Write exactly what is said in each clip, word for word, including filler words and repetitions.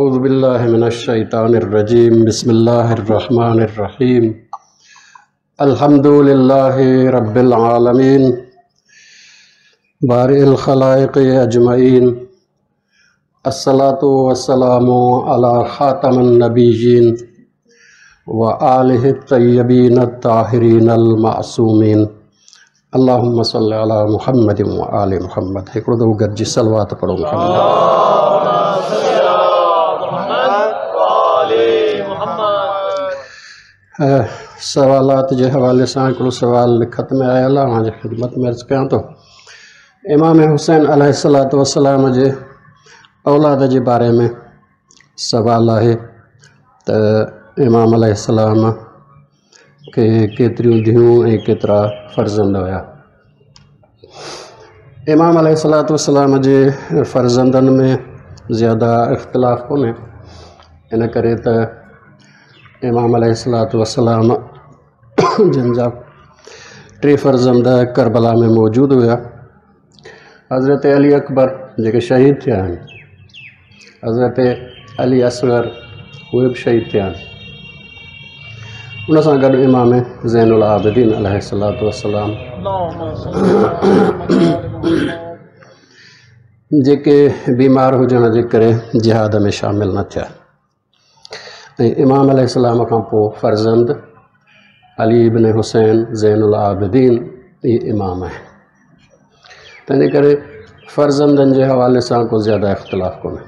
अऊज़ु बिल्लाहि मिनश्शैतानिर्रजीम। बिस्मिल्लाहिर्रहमानिर्रहीम। अल्हम्दुलिल्लाहि रब्बिल आलमीन बारिल खलाइक़ अजमईन। अस्सलातु वस्सलामु अला ख़ातमन नबिय्यीन व आलिहि तय्यबीन ताहिरीन अल मासूमीन। अल्लाहुम्मा सल्लि अला मुहम्मद व आलि मुहम्मद। हिकिड़ो दफ़ो गॾिजी सलवात पढ़ो मुहम्मद। सवालात जे हवाले सां हिकिड़ो सवाल लिखत में आयल आहे, अव्हांजी ख़िदमत में अर्ज़ु कयां थो। इमाम हुसैन अलैहिस्सलातु वस्सलाम जे औलाद जे बारे में सवाल आहे त इमाम अलैहिस्सलाम खे केतिरियूं धीऊं ऐं केतिरा फर्ज़ंद हुया। इमाम अलैहिस्सलातु वस्सलाम जे फर्ज़ंदनि में ज़्यादा इख़्तिलाफ़ कोन्हे, इन करे त इमाम अलैहिस्सलातु वस्सलाम जिन जा टे फर्ज़ंद करबला में मौजूदु हुया। हज़रत अली अकबर जेके शहीद थिया आहिनि, हज़रत अली असगर उहे बि शहीद थिया आहिनि। उन सां गॾु इमाम ज़ैनुल आबिदीन अलैहिस्सलातु वस्सलाम जेके बीमार हुजण जे करे जिहाद में शामिल न थिया। ऐं इमाम अलैहिस्सलाम खां पोइ फर्ज़ंद अली इब्न हुसैन ज़ैनुल आबिदीन इहे इमाम आहिनि। तंहिंजे करे फर्ज़ंदनि जे हवाले सां को ज़्यादा इख़्तिलाफ़ कोन्हे।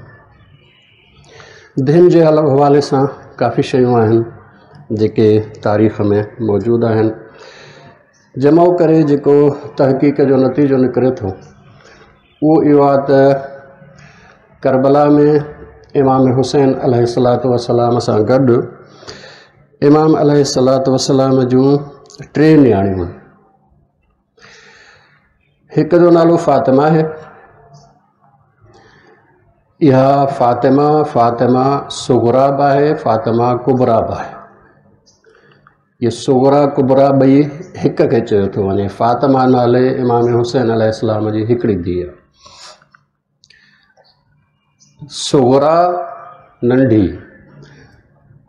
धियुनि जे हवाले सां काफ़ी शयूं आहिनि जेके तारीख़ में मौजूदु आहिनि। जमाउ करे जेको तहक़ीक़ जो नतीजो निकिरे थो उहो इहो आहे त करबला में इमाम हुसैन अलैहिस्सलातु वस्सलाम सां गॾु इमाम अलैहिस्सलातु वस्सलाम जूं टे नियाणियूं आहिनि। हिकु जो नालो फ़ातिमा आहे। इहा फ़ातिमा फ़ातिमा सुगरा बि आहे, फ़ातिमा कुबरा बि आहे। इहे सुगरा कुबरा ॿई हिक खे चयो थो वञे। फ़ातिमा नाले इमाम हुसैन अलैहिस्सलाम जी हिकिड़ी धीउ आहे। सुगरा नंढी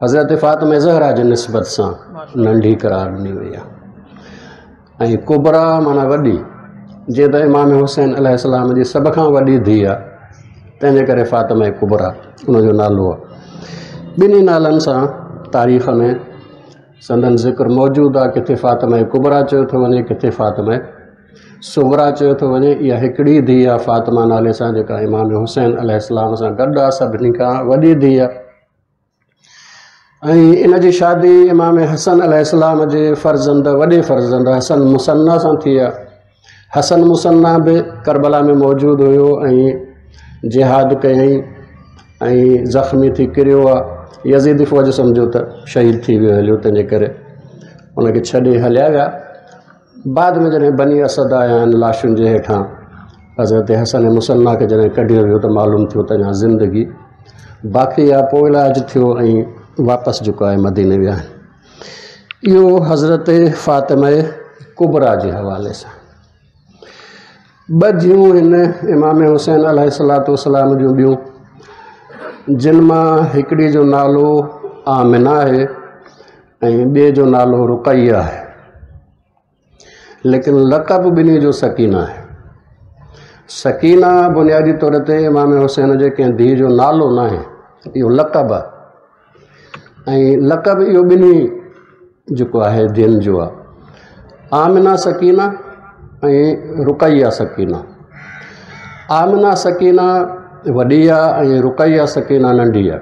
हज़रत फ़ातिमा ज़हरा जी निस्बत सां नंढी करार ॾिनी वई आहे ऐं कुबरा माना वॾी, जीअं त इमाम हुसैन अलैहिस्सलाम जी सभ खां वॾी धीउ आहे, तंहिंजे करे फ़ातिमा कुबरा उनजो नालो आहे। ॿिन्ही नालनि सां तारीख़ में संदन ज़िक्र मौजूदु आहे। किथे फ़ातिमा कुबरा चयो थो वञे, किथे फ़ातिमा सुगरा चयो थो वञे। इहा हिकिड़ी धीउ आहे फ़ातिमा नाले सां जेका इमाम हुसैन अलैहिस्सलाम सां गॾु आहे, सभिनी खां वॾी धीउ आहे। ऐं इन जी शादी इमाम हसन अलैहिस्सलाम जे फर्ज़ंद वॾे फर्ज़ंद हसन मुसन्ना सां थी आहे। हसन मुसन्ना बि करबला में मौजूदु हुयो ऐं जिहाद कयईं ऐं ज़ख़्मी थी किरियो आहे। यज़ीदी फ़ौज सम्झो त शहीद थी वियो हलियो, तंहिंजे करे उनखे छॾे हलिया विया। बाद में जॾहिं बनी असद आया आहिनि लाशुनि जे हेठां हज़रत हसन मुसन्ना खे जॾहिं कढियो वियो त मालूम थियो त अञा ज़िंदगी बाक़ी आहे। पोइ इलाज थियो ऐं वापसि जेको आहे मदीने विया आहिनि। इहो हज़रत फ़ातिमा कुबरा जे हवाले सां। ॿ धीऊं आहिनि इमाम हुसैन अलैहिस्सलातु वस्सलाम जूं ॿियूं, जिन मां हिकिड़ी जो नालो आमिना आहे ऐं ॿिए जो नालो रुक़ैया आहे, लेकिन लक़ब ॿिन्ही जो सकीना आहे। सकीना बुनियादी तौर ते इमाम हुसैन जे कंहिं धीउ जो नालो न आहे, इहो लक़ब आहे ऐं लक़ब इहो ॿिन्ही जेको आहे धीउनि जो आहे। आमिना सकीना ऐं रुक़ैया सकीना। आमिना सकीना वॾी आहे ऐं रुक़ैया सकीना नंढी आहे।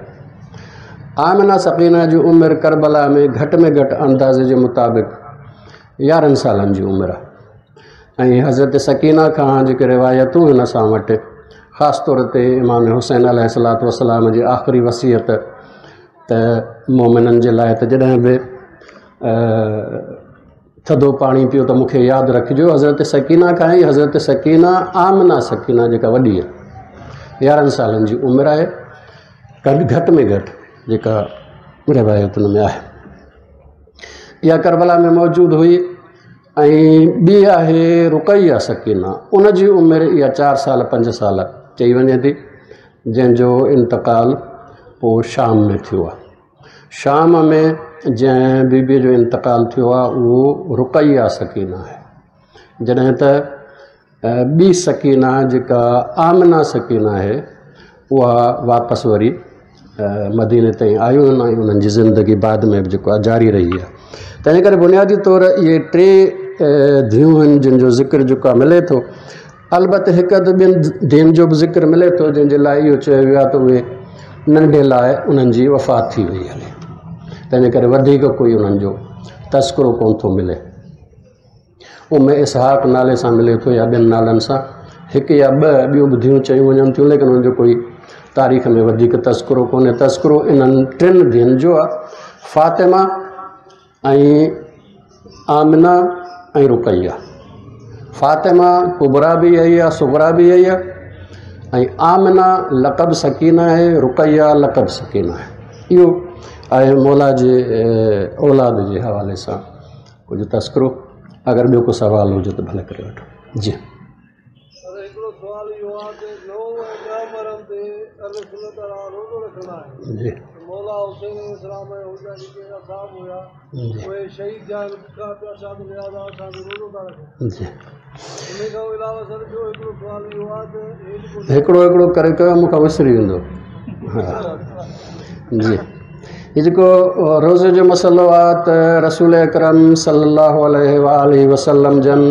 आमिना सकीना जी उमिरि करबला में घटि में घटि अंदाज़े जे मुताबिक़ यारहं सालनि जी उमिरि आहे ऐं हज़रत सकीना खां जेके रिवायतूं आहिनि असां वटि, ख़ासि तौर ते इमाम हुसैन अलैहिस्सलातु वस्सलाम जी आख़िरी वसीयत त मोमिननि जे लाइ त जॾहिं बि थधो पाणी पियो त मूंखे यादि रखिजो। हज़रत सकीना खां ई हज़रत सकीना आमिना सकीना जेका वॾी आहे, यारहं सालनि जी उमिरि आहे घटि में घटि जेका रिवायतुनि में आहे। इहा करबला में मौजूदु हुई। ऐं ॿी आहे रुक़ैया सकीना, उनजी उमिरि इहा चारि साल पंज साल चई वञे थी, जंहिंजो इंतकाल پوءِ شام ۾ ٿيو آهي. شام ۾ جنهن بيبيءَ جو انتقال ٿيو آهي اهو رقيه سڪينه آهي، جڏهن ته ٻي سڪينه جيڪا آمنه سڪينه آهي اها واپس وري مديني تائين آيون آهن ۽ انهن جي زندگي بعد ۾ به جيڪو آهي جاري رهي آهي. تنهن ڪري بنيادي طور اهي ٽي ڌيئون آهن جن جو ذڪر جيڪو آهي ملي ٿو. البته هڪ اڌ ٻين ڌيئن جو به ذڪر ملي ٿو جنهن جي لاءِ اهو چيو ويو آهي ته اهي ننڍي لاءِ انهن جي وفات ٿي وئي هلي، تنهن جي ڪري وڌيڪ ڪوئي انهن جو تذڪرو ڪونه ٿو ملي. ام اسحاق نالي سان ملي ٿو يا ٻين نالن سان، هڪ يا ٻه ٻيون به ڌيئون چيون وڃن ٿيون، ليڪن انهن جو ڪوئي تاريخ ۾ وڌيڪ تذڪرو ڪونهي. تذڪرو انهن ٽن ڌيئن جو آهي، فاطمه ۽ آمنه ۽ رقيه. فاطمه ڪبريٰ به اها ئي آهي، صغريٰ به اها ئي آهي، ۽ آمنه لقب سڪينه آهي، رقيه لقب سڪينه آهي. اهو آهي مولا جي اولاد جي حوالي سان ڪجهه تذڪرو. اگر ٻيو ڪو سوال هجي ته ڀلي ڪري وٺو. جي جي مولا حسين السلام جي شهيد ٿيا آهن، بکا پياسا ته لهذا اسان به روزو ٿا رکون. جي ان کان علاوه سر ٻيو هڪڙو سوال اهو آهي ته هي جيڪو هڪڙو هڪڙو ڪري ڪيو مون کان وسري ويندو. ها جي، هي جيڪو روزي جو مسئلو آهي ته رسول اڪرم صلي الله عليه وآله وسلم جن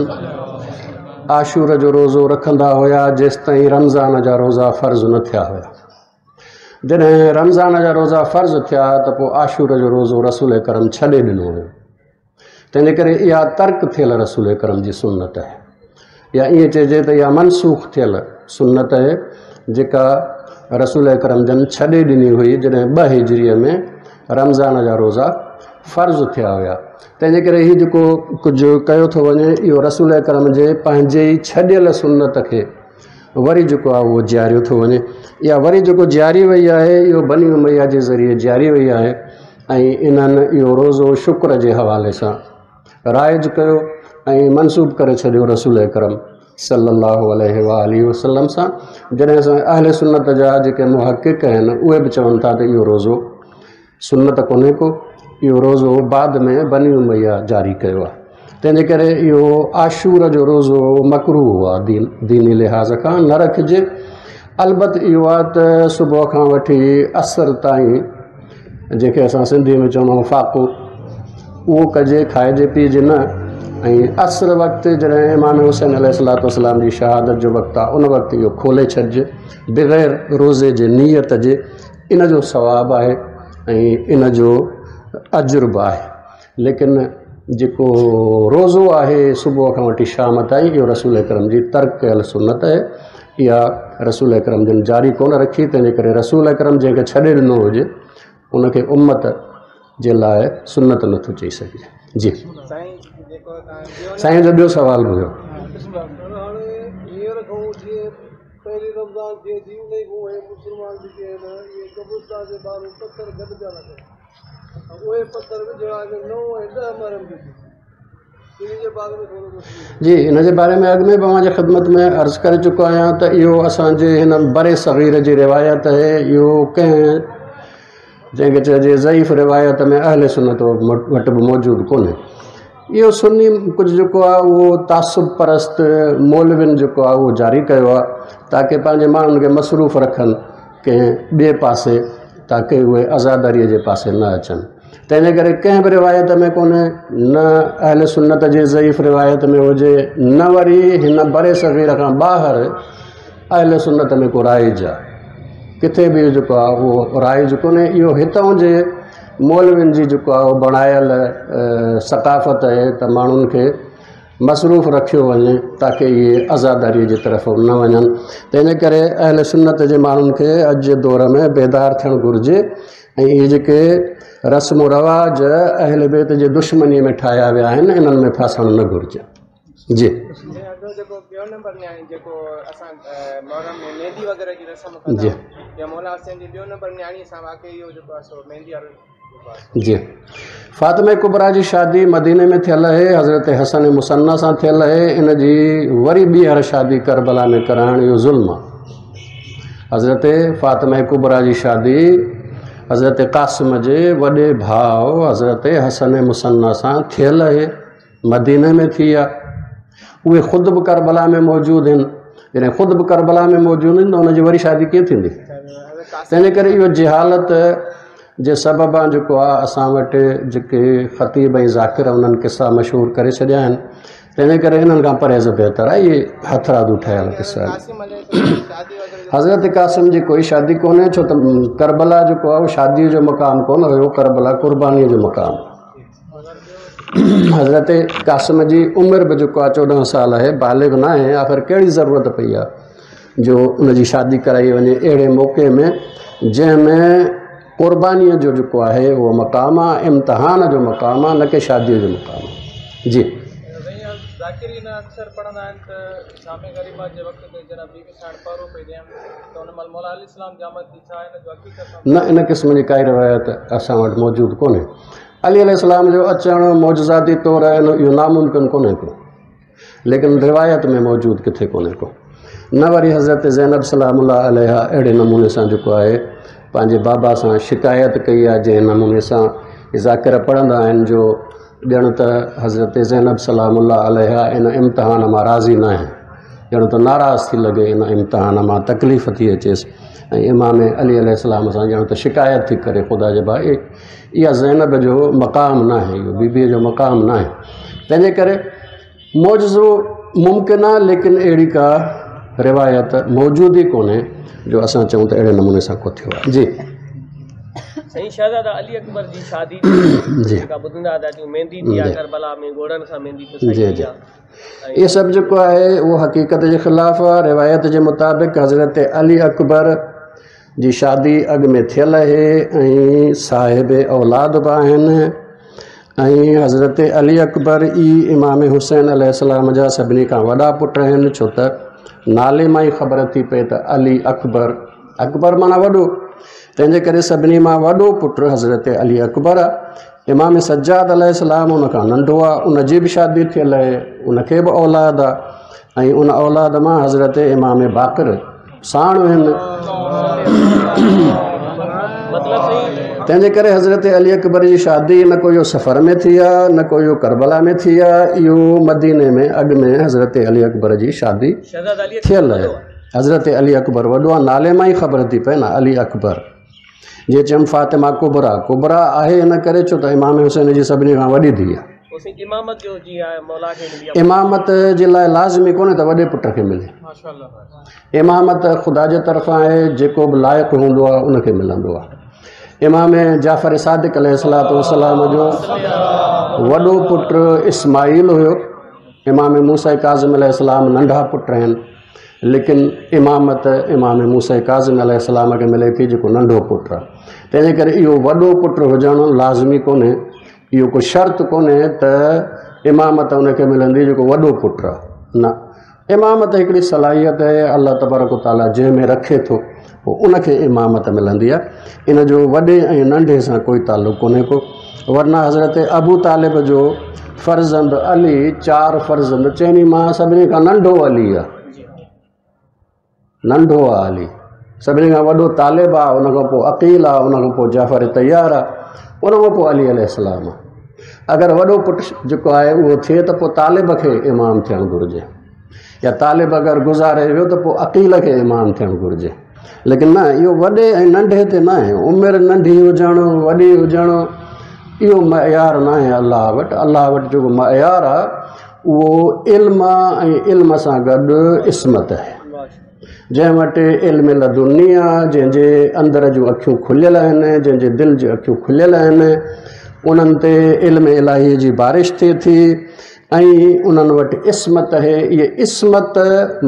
عاشور جو روزو رکندا هئا جيستائين رمضان جا روزا فرض نه ٿيا هئا. جڏهن رمضان جا روزا فرض ٿيا ته پوءِ عاشور جو روزو رسول اڪرم ڇڏي ڏنو هيو. تنهن جي ڪري اها ترڪ ٿيل رسول اڪرم جي سنت آهي، يا ائين چئجي ته اها منسوخ ٿيل سنت آهي جيڪا رسول اڪرم جن ڇڏي ڏني هئي جڏهن ٻه هجريءَ ۾ رمضان جا روزا فرض ٿيا هئا. تنهن جي ڪري هيءُ جيڪو ڪجهه ڪيو ٿو وڃي اهو رسول اڪرم جي پنهنجي ئي ڇڏيل سنت کي وري جيڪو آهي اهو جياريو ٿو وڃي. اها وري جيڪو جياري وئي آهي اهو بني اميه جي ذريعي جياري وئي آهي ۽ انهن اهو روزو شڪر جي حوالي سان رائج ڪيو ۽ منسوب ڪري ڇڏيو رسول اڪرم صلي الله عليه وآله وسلم سان. جڏهن اسان اهل سنت جا جيڪي محقق آهن اهي به چون ٿا ته اهو روزو سنت ڪونهي ڪو، اهو روزو بعد ۾ بني اميه جاري ڪيو آهي. تنهن جي ڪري اهو عاشور جو روزو مڪروهه آهي، دين ديني لحاظ کان نه رکجي. البت اهو آهي ته صبح کان وٺي عصر تائين جنهن کي اسان سنڌيءَ ۾ چوندا آهيون فاقو، اهو ڪجي، کائجي پيئجي نه. ۽ عصر وقت جڏهن امام حسين عليه السلام جي شهادت جو وقت آهي ان وقت اهو کولي ڇڏجي بغير روزي جي نيت جي. ان جو ثواب آهي ۽ ان جو اجر به آهي. ليڪن جيڪو روزو آهي صبح کان وٺي شام تائين اهو رسول اڪرم جي ترڪ ڪيل سنت آهي. اها رسول اڪرم جن جاري ڪونه رکي. تنهن جي ڪري رسول اڪرم جنهن کي ڇڏي ڏنو هجي ان کي امت جي لاءِ سنت نٿو چئي سگهجي. جي سائين جو ٻيو سوال به هيو. هاڻي هينئر کان جيئن پهرين رمضان ٿئي ٿي ان کان اهي مسلمان جيڪي آهن اهي قبرستان جي ٻاهر پٿر گڏ پيا رکن، اهي پٿر وجهڻا نو ۽ ڏهه محرم تي ان جي باري ۾ ٿورو جي ان جي باري ۾ اڳ ۾ به اوهان جي خدمت ۾ عرض ڪري چڪو آهيان ته اهو اسان جي هن بر صغير جي روايت آهي. اهو ڪنهن جنهن کي چئجي ضعيف روايت ۾ اهل سنت وٽ به موجود ڪونهي. اهو سني ڪجهه جيڪو آهي اهو تعصب پرست مولوين جيڪو آهي اهو جاري ڪيو آهي تاڪه پنهنجي ماڻهن کي مصروف رکن ڪنهن ٻئي پاسي، تاڪه اهي آزاداريءَ جي پاسي نه اچن. تنهن جي ڪري ڪنهن به روايت ۾ ڪونهي، نه اهل سنت جي ضعيف روايت ۾ هجي، نه وري هن بر صغير کان ٻاهر اهل سنت ۾ ڪو رائج آهي، ڪٿي به جيڪو آهي اهو رائج ڪونهي. اهو هتان جي مولوين جي جيڪو آهي اهو بڻايل ثقافت آهي ته ماڻهن کي مصروف رکيو وڃي تاڪه اهي آزاداريءَ جي طرف نه وڃن. تنهن جي ڪري اهل سنت جي ماڻهن کي اڄ جي دور ۾ بيدار ٿيڻ گهرجي ۽ اهي جيڪي رسم رواج اهل بيت جي دشمنيءَ ۾ ٺاهيا ويا آهن انهن ۾ ڦاسڻ نه گهرجي. جي جيڪو ٻيو نمبر نياڻي جيڪو اسان محرم ۾ مهندي وغيره جي رسم ڪندا جي يا مولا حسين جي ٻيو نمبر نياڻيءَ سان واقعي اهو جيڪو آهي سو مهندي وارو جي فاطمه ڪبريٰ جي شادي مديني ۾ ٿيل آهي، حضرت حسن مثنيٰ سان ٿيل آهي. ان جي وري ٻيهر شادي ڪربلا ۾ ڪرائڻ اهو ظلم آهي. حضرت فاطمه ڪبريٰ جي شادي حضرت قاسم جي وڏي ڀاءُ حضرت حسن مثنيٰ سان ٿيل آهي، مديني ۾ ٿي آهي. اهي خود به ڪربلا ۾ موجود آهن. جڏهن خود به ڪربلا ۾ موجود آهن ته هن جي وري شادي ڪيئن ٿيندي؟ تنهن جي ڪري اهو جهالت جي سببان جيڪو آهي اسان وٽ جيڪي خطيب ۽ ذاڪر انهن قصا مشهور ڪري ڇڏيا آهن، تنهن جي ڪري انهن کان پرهيز بهتر آهي. اهي هٿرادو ٺهيل قصا آهن. حضرت قاسم جي ڪوئي شادي ڪونهي، ڇو ته ڪربلا جيڪو آهي اهو شاديءَ جو مقام ڪونه هيو، ڪربلا قربانيءَ جو مقام. حضرت قاسم جي عمر به جيڪو آهي چوڏهن سال آهي، بالغ نه آهي. آخر ڪهڙي ضرورت پئي آهي جو ان جي شادي ڪرائي وڃي اهڙي موقعي ۾ جنهن ۾ قربانيءَ جو جيڪو آهي اهو مقام آهي، امتحان جو مقام آهي، نه ڪه شاديءَ جو مقام آهي. جي ذاڪرين اڪثر پڙهندا آهن ته شام غريبات جي وقت تي جڏهن بيبي ساڻ پهرو پئي ڏيان ته ان مهل مولا عليه السلام جي آمد ٿي، ڇا هن جو حقيقت نه؟ ان قسم جي ڪائي روايت اسان وٽ موجود ڪونهي. علي عليه السلام جو اچڻ معجزاتي طور اهو ناممڪن ڪونهي ڪو، ليڪن روايت ۾ موجود ڪٿي ڪونهي ڪو. نه وري حضرت زينب سلام الله عليها اهڙي نموني سان جيڪو آهي پنهنجي بابا سان شڪايت ڪئي آهي، جنهن نموني سان ذاڪر پڙهندا آهن جو ڄڻ ته حضرت زينب سلام الله عليها ان امتحان مان راضي نه آهي، ڄڻ ته ناراض ٿي لڳي، ان امتحان مان تڪليف ٿي اچيس ۽ امام علي عليه السلام سان ڄڻ ته شڪايت ٿي ڪري. خدا جي ڀاءُ، اها زينب جو مقام نه آهي، اهو بيبيءَ جو مقام نه آهي. تنهن جي ڪري معجزو ممڪن آهي، ليڪن اهڙي ڪا روايت موجود ئي ڪونهي جو اسان چئون ته اهڙي نموني سان ڪو ٿيو آهي. جي سائين، شهزاده علي اڪبر جي شادي جي جيڪا ٻڌندا ٿا اچون، مهندي ٿي آهي ڪربلا ۾، گهوڙن سان مهندي پسائي جي ٿي جي آهي. اهو سڀ جيڪو آهي اهو حقيقت جي خلاف آهي. روايت جي مطابق حضرت علي اڪبر جي شادي اڳ ۾ ٿيل آهي ۽ صاحب اولاد به آهن، ۽ حضرت علي اڪبر ئي امام حسين عليه السلام جا سڀني کان وڏا پٽ آهن، ڇو ته نالي مان ئي خبر ٿي پئي ته علي اڪبر، اڪبر معنيٰ وڏو، تنهن جي ڪري سڀني مان وڏو پٽ حضرت علي اڪبر آهي. امام سجاد عليه السلام ان کان ننڍو آهي، ان جي به شادي ٿيل آهي، ان کي به اولاد آهي ۽ ان اولاد مان حضرت امام باقر ساڻ آهن. مطلب سائين، تنهن جي ڪري حضرت علي اڪبر جي شادي نه ڪو اهو سفر ۾ ٿي آهي، نه ڪو اهو ڪربلا ۾ ٿي آهي. اهو مديني ۾ اڳ ۾ حضرت علي اڪبر جي شادي شهزاده علي ٿيل آهي. حضرت علي اڪبر وڏو آهي، نالي مان ئي خبر ٿي پئي نه، علي اڪبر. جيئن چيم فاطمه ڪبريٰ، ڪبريٰ آهي ان ڪري ڇو ته امام حسين جي سڀني کان وڏي ڌيءَ آهي. پوءِ سائين، امامت جو جيئن آهي مولا کي ملي آهي. امامت جي لاءِ لازمي ڪونهي ته وڏي پٽ کي ملي. امامت خدا جي طرفان آهي، جيڪو به لائق هوندو آهي ان کي ملندو آهي. امام جعفر صادق عليه السلام جو وڏو پٽ اسماعيل هيو، امام موسيٰ ڪاظم عليه السلام ننڍا پٽ آهن، ليڪن امامت امام موسيٰ ڪاظم عليه السلام کي ملي ٿي جيڪو ننڍو پٽ آهي. تنهن جي ڪري اهو وڏو پٽ هجڻ لازمي ڪونهي، اهو ڪو شرط ڪونهي ته امامت ان کي ملندي جيڪو وڏو پٽ آهي. نه، امامت هڪڙي صلاحيت آهي، الله تبارڪ تعاليٰ جنهن ۾ رکي ٿو پوءِ ان کي امامت ملندي آهي. ان جو وڏي ۽ ننڍي سان ڪوئي تعلق ڪونهي ڪو. ورنه حضرت ابو طالب جو فرزند علي، چار فرزند، چئني مان سڀني کان ننڍو علي آهي، ننڍو آهي علي. سڀني کان وڏو طالب آهي، ان کان پوءِ عقيل آهي، ان کان پوءِ جعفر طيار آهي، ان کان پوءِ علي عليه السلام آهي. اگر وڏو پٽ جيڪو آهي اهو ٿئي ته پوءِ طالب کي امام ٿيڻ گهرجي، يا طالب اگر گذاري ويو ته پوءِ عقيل کي امام ٿيڻ گهرجي. ليڪن نه، اهو وڏي ۽ ننڍي تي نه آهي. عمر ننڍي هجڻ وڏي هجڻ اهو معيار نه آهي الله وٽ. الله وٽ جيڪو معيار آهي اهو علم آهي ۽ علم سان گڏ عصمت آهي. جنهن وٽ علم لدني آهي، جنهن جي اندر جون اکيون کليل آهن، جنهن جي دل جون اکيون کليل آهن، انهن تي علم الاهي جي بارش ٿئي ٿي ۽ انهن وٽ عصمت آهي. اهي عصمت،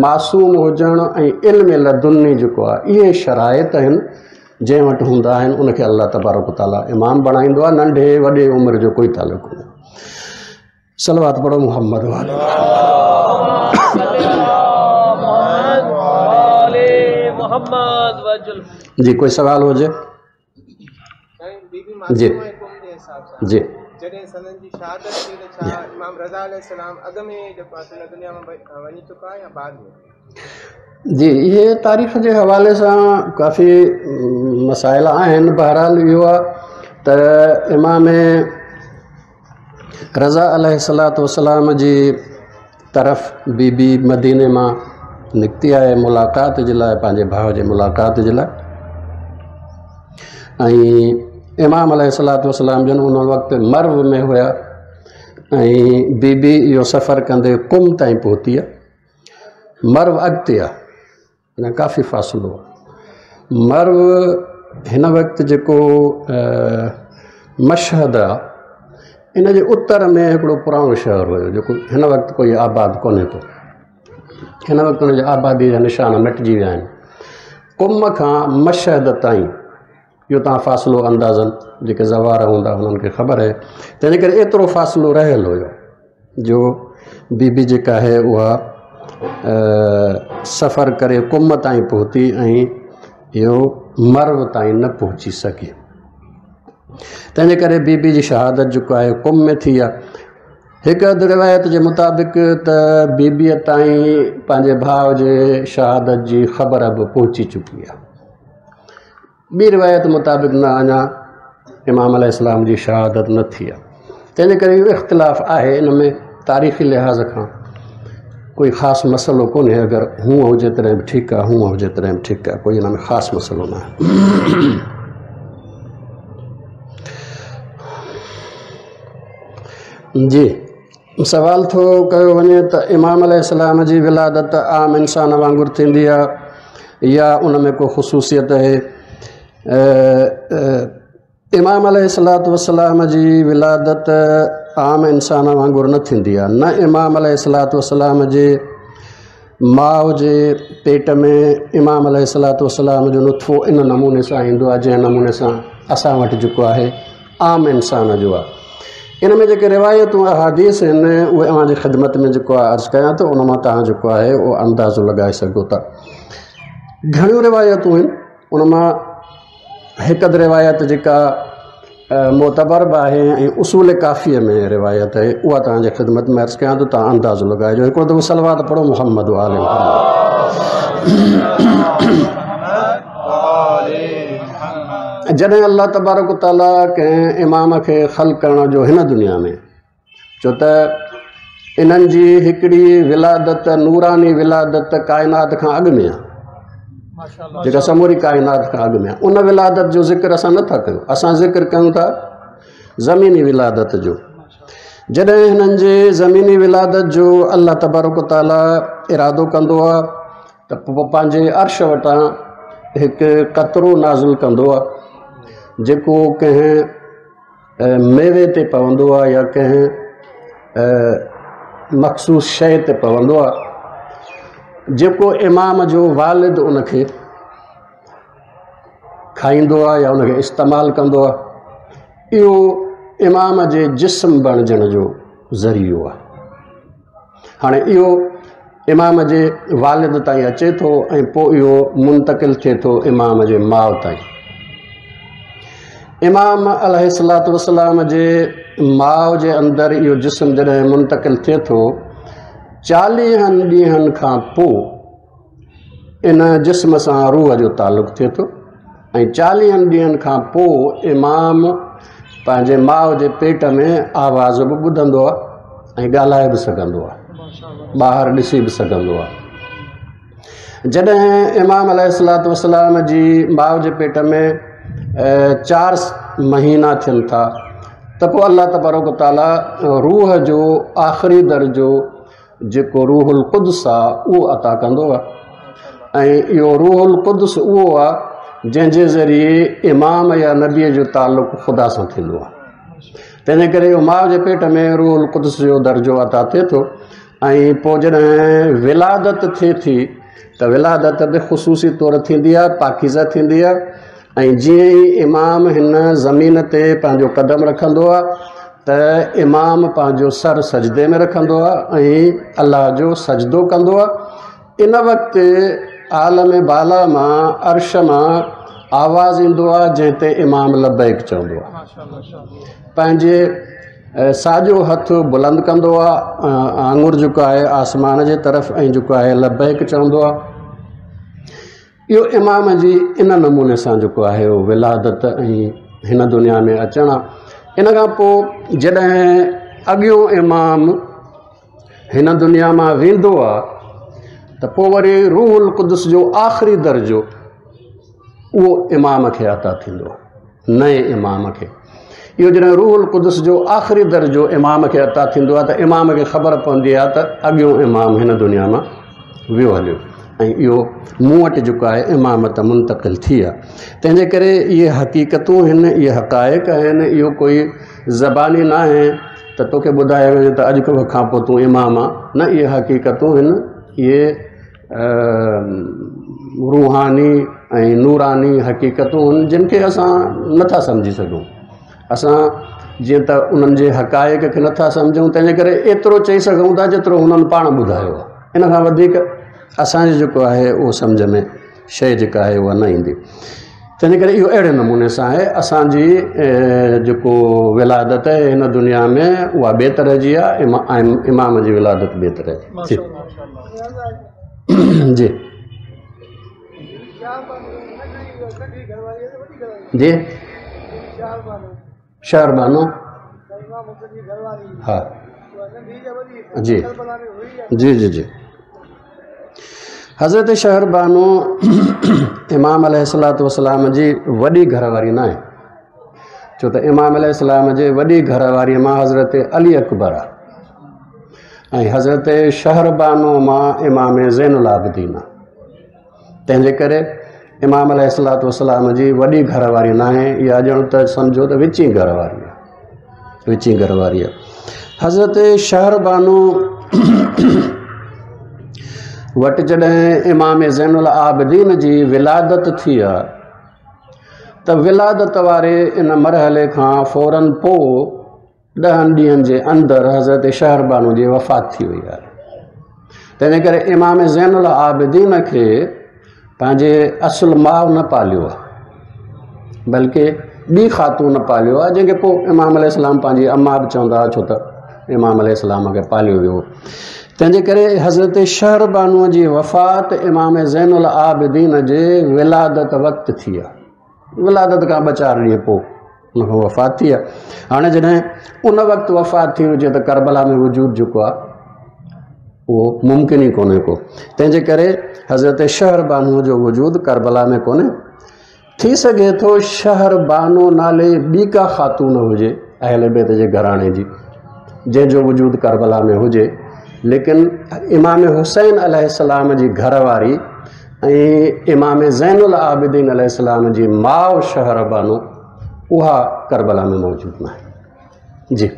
معصوم هجڻ ۽ علم لدني جيڪو آهي، اهي شرائط آهن جنهن وٽ هوندا آهن ان کي الله تبارڪ تعاليٰ امام بڻائيندو آهي. ننڍي وڏي عمر جو ڪوئي تعلق ڪونهي. صلوات پڙهو محمد وآل محمد وجل. جي، ڪوئي سوال هجي؟ سائين، بيبي جي. معصومه قم جي حساب سان جي جڏهن سندن جي شهادت ٿي ته ڇا امام رضا عليه السلام اڳ ۾ جيڪو آهي هن دنيا مان وڃي چڪا يا بعد ۾؟ جي اهي تاريخ جي حوالي سان ڪافي مسائل آهن. بهرحال اهو آهي ته امام رضا عليه الصلوة والسلام جي طرف بي بي مديني مان نڪتي آهي ملاقات جي لاءِ، پنهنجي ڀاءُ جي ملاقات جي لاءِ. ۽ امام عليه الصلوة والسلام جن ان وقت مرو ۾ هئا ۽ بي بي اهو سفر ڪندي قم تائين پهتي آهي. مرو اڳتي آهي، اڃا ڪافي فاصلو آهي. مرو هن وقت جيڪو مشهد آهي ان جي اتر ۾ هڪڙو پراڻو شهر هيو جيڪو هن وقت ڪوئي آباد ڪونهي ٿو. هن وقت هن جي آباديءَ جا نشان مٽجي ويا آهن. قم کان مشهد تائين اهو توهان فاصلو اندازن جيڪي زوار هوندا هنن کي خبر آهي، تنهن جي ڪري ايترو فاصلو رهيل هيو جو بي بي جيڪا آهي اها سفر ڪري قم تائين پهتي ۽ اهو مرو تائين نه پهچي سگهي. تنهن جي ڪري بي بي جي شهادت جيڪو آهي قم ۾ ٿي آهي. هڪ اڌ روايت جي مطابق ته بي بيءَ تائين پنهنجي ڀاءُ جي شهادت جي خبر به پهچي چڪي آهي. ٻي روايت مطابق نه اڃا امام عليه السلام جي شهادت نه ٿي آهي. تنهن جي ڪري اهو اختلاف آهي. ان ۾ تاريخي لحاظ کان ڪوئي خاص مسئلو ڪونهي. اگر هونئن هجي تڏهن به ٺيڪ آهي، هونئن هجي تڏهن به ٺيڪ آهي، ڪوئي هن ۾ خاص مسئلو نه آهي. جي سوال ٿو ڪيو وڃي ته امام عليه السلام جي ولادت عام انسان وانگر ٿيندي آهي يا ان ۾ ڪو خصوصيت آهي؟ امام عليه الصلوة والسلام جي ولادت عام انسان وانگر نه ٿيندي آهي. نه امام عليه الصلوة والسلام جي ماءُ جي پيٽ ۾ امام عليه الصلوة والسلام جو نطفو ان نموني سان ايندو آهي جنهن نموني سان اسان وٽ جيڪو آهي عام انسان جو آهي. ان ۾ جيڪي روايتون احاديث آهن اهي اوهان جي خدمت ۾ جيڪو آهي عرض ڪيان ٿو، ان مان توهان جيڪو آهي اهو اندازو لڳائي سگهو ٿا. گهڻيون روايتون آهن، ان مان هڪ اڌ روايت جيڪا معتبر به آهي ۽ اصول ڪافيءَ ۾ روايت آهي اها توهان جي خدمت ۾ عرض ڪيان ٿو، توهان اندازو لڳائجو. هڪڙو دفعو صلوات پڙهو محمد آل محمد. جڏهن الله تبارڪ تعاليٰ ڪنهن امام کي خلق ڪرڻ جو هن دنيا ۾ ڇو ته انهن جي هڪڙي ولادت نوراني ولادت ڪائنات کان اڳ ۾ آهي، جيڪا سموري ڪائنات کان اڳ ۾ آهي، ان ولادت جو ذڪر اسان نٿا ڪيون. اسان ذڪر ڪيون ٿا زميني ولادت جو. جڏهن هنن جي زميني ولادت جو الله تبارڪ تعاليٰ ارادو ڪندو آهي ته پوءِ پنهنجي عرش وٽان هڪ قطرو نازل ڪندو آهي جيڪو ڪنهن ميوي تي پوندو آهي يا ڪنهن مخصوص شيءِ تي پوندو آهي، جيڪو امام جو والد ان کي کائيندو آهي يا ان کي استعمال ڪندو آهي. اهو امام جي جسم بڻجڻ جو ذريعو آهي. هاڻي اهو امام جي والد تائين اچي ٿو ۽ پوءِ اهو منتقل ٿئي ٿو امام جي ماءُ تائين. امام عليه الصلوة والسلام جي ماءُ جي اندر اهو جسم جڏهن منتقل ٿئي ٿو چاليهن ڏينهن کان پوءِ ان جسم سان روح جو تعلق ٿئي ٿو ۽ چاليهن ڏينهن کان پوءِ امام پنهنجي ماءُ جي پيٽ ۾ آواز به ٻڌندو آهي ۽ ڳالهائي به سگهندو آهي، ٻاهر ڏسي به سگهندو آهي. جڏهن امام عليه الصلوة والسلام جي ماءُ جي پيٽ ۾ چار مهينا ٿين ٿا ته پوءِ الله تبارڪ تعاليٰ روح جو آخري درجو جيڪو روح القدس آهي اهو عطا ڪندو آهي ۽ اهو روح القدس اهو آهي جنهن جي ذريعي امام يا نبيءَ جو تعلق خدا سان ٿيندو آهي. تنهن جي ڪري اهو ماءُ جي پيٽ ۾ روح القدس جو درجو عطا ٿئي ٿو ۽ پوءِ جڏهن ولادت ٿئي ٿي ته ولادت به خصوصي طور ٿيندي آهي، پاڪيزه ٿيندي آهي ۽ جيئن ئي امام هن زمين تي پنهنجو قدم رکندو آهي ته امام پنهنجو سر سجدي ۾ رکندو آهي ۽ الله جو سجدو ڪندو آهي. ان وقت عالم بالا مان عرش مان آواز ايندو آهي جنهن تي امام لبيڪ چوندو آهي. پنهنجي ساڄو هٿ بلند ڪندو آهي، آڱر جيڪو آهي آسمان جي طرف ۽ جيڪو آهي لبيڪ چوندو آهي. اهو امام جي ان نموني سان جيڪو آهي اهو ولادت ۽ هن دنيا ۾ اچڻ آهي. ان کان پوءِ جڏهن اڳيون امام هن دنيا مان ويندو آهي ته پوءِ وري روح القدس جو آخري درجو اهو امام کي عطا ٿيندو آهي، نئين امام کي. اهو جڏهن روح القدس جو آخري درجو امام کي عطا ٿيندو آهي ته امام کي خبر پوندي آهي ته اڳيون امام هن دنيا مان ويو هليو ۽ اهو مون وٽ جيڪو آهي امامت منتقل ٿي آهي. تنهن جي ڪري اهي حقيقتون آهن، اهي حقائق آهن. اهو ڪوئي زباني نه آهي ته توکي ٻڌايو وڃي ته اڄ کان پوءِ تون امام آهي، نه، اهي حقيقتون آهن، اهي روحاني ۽ نوراني حقيقتون آهن جن کي اسان نٿا سمجهي سگهون. اسان جيئن ته انهن جي حقائق کي نٿا سمجهون، تنهن جي ڪري ايترو چئي سگهون ٿا جيترو هنن پاڻ ٻڌايو آهي. ان کان وڌيڪ اسان جي جيڪو آهي اهو سمجهه ۾ شيءِ جيڪا آهي اها نه ايندي. تنهن جي ڪري اهو اهڙي نموني سان آهي. اسان جي جيڪو ولادت آهي هن دنيا ۾ اها ٻئي طرح جي آهي، امام جي ولادت ٻئي طرح جي. جي جي شهربانو، ها جي جي جي جي حضرت شهربانو امام عليه الصلوة والسلام جي وڏي گهر واري نه آهي، ڇو ته امام عليه السلام جي وڏي گهر واريءَ مان حضرت علي اڪبر آهي ۽ حضرت شهربانو مان امام زين العابدين آهي. تنهن جي ڪري امام عليه الصلوة والسلام جي وڏي گهر واري نه آهي، اها ڄڻ ته سمجهو ته وچين گهر واري آهي، وچين گهر واري آهي. حضرت شهربانو وٽ جڏهن امام زين العابدين جي ولادت ٿي آهي ته ولادت واري ان مرحلي کان فورن پوءِ ڏهن ڏينهن جي اندر حضرت شهربانو جي وفات ٿي وئي آهي. تنهن جي ڪري امام زين العابدين کي پنهنجي اصل ماءُ نه پاليو آهي، بلڪه ٻي خاتون پاليو آهي، جنهن کي پوءِ امام عليه السلام پنهنجي اما به چوندا هئا، ڇو ته امام عليه السلام کي پاليو ويو. تنهن جي ڪري حضرت شهربانوءَ جي وفات امام زين العابدين جي ولادت وقت ٿي آهي. ولادت کان ٻه چار ڏينهن پوءِ هن کان وفات ٿي آهي. هاڻي جڏهن ان وقت وفات ٿي هجي ته ڪربلا ۾ وجود جيڪو آهي اهو ممڪن ئي ڪونهي ڪو. تنهن جي ڪري حضرت شهربانوءَ جو وجود ڪربلا ۾ ڪونهي. ٿي سگهي ٿو شهربانو نالي ٻي ڪا خاتون هجي اهل بيت جي گهراڻي جي، جنهن جو وجود ڪربلا ۾ هجي، ليڪن امام حسين عليه السلام جي گهر واري ۽ امام زين العابدين عليه السلام جي ماءُ شهربانو اها ڪربلا ۾ موجود نه آهي. جي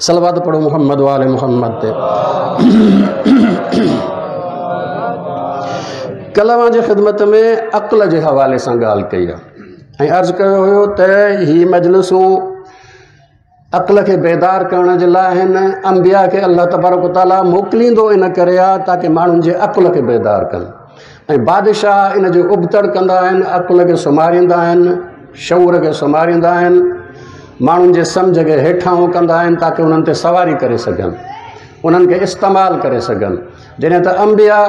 صلوات پڙهو محمد وآل محمد تي. ڪلهه اوهان جي خدمت ۾ عقل جي حوالي سان ڳالهه ڪئي آهي ۽ عرض ڪيو هيو ته هي مجلسون عقل کي بيدار ڪرڻ جي لاءِ آهن. انبيا کي الله تبارڪ تعاليٰ موڪليندو ان ڪري آهي تاڪه ماڻهن جي عقل کي بيدار ڪن، ۽ بادشاهه ان جو ابتڙ ڪندا آهن، عقل کي سمهاريندا آهن، شعور کي سمهاريندا آهن، ماڻهن جي سمجهه کي هيٺان ڪندا آهن تاڪه انهن تي سواري ڪري سگهن، انهن کي استعمال ڪري سگهن. جڏهن ته انبيا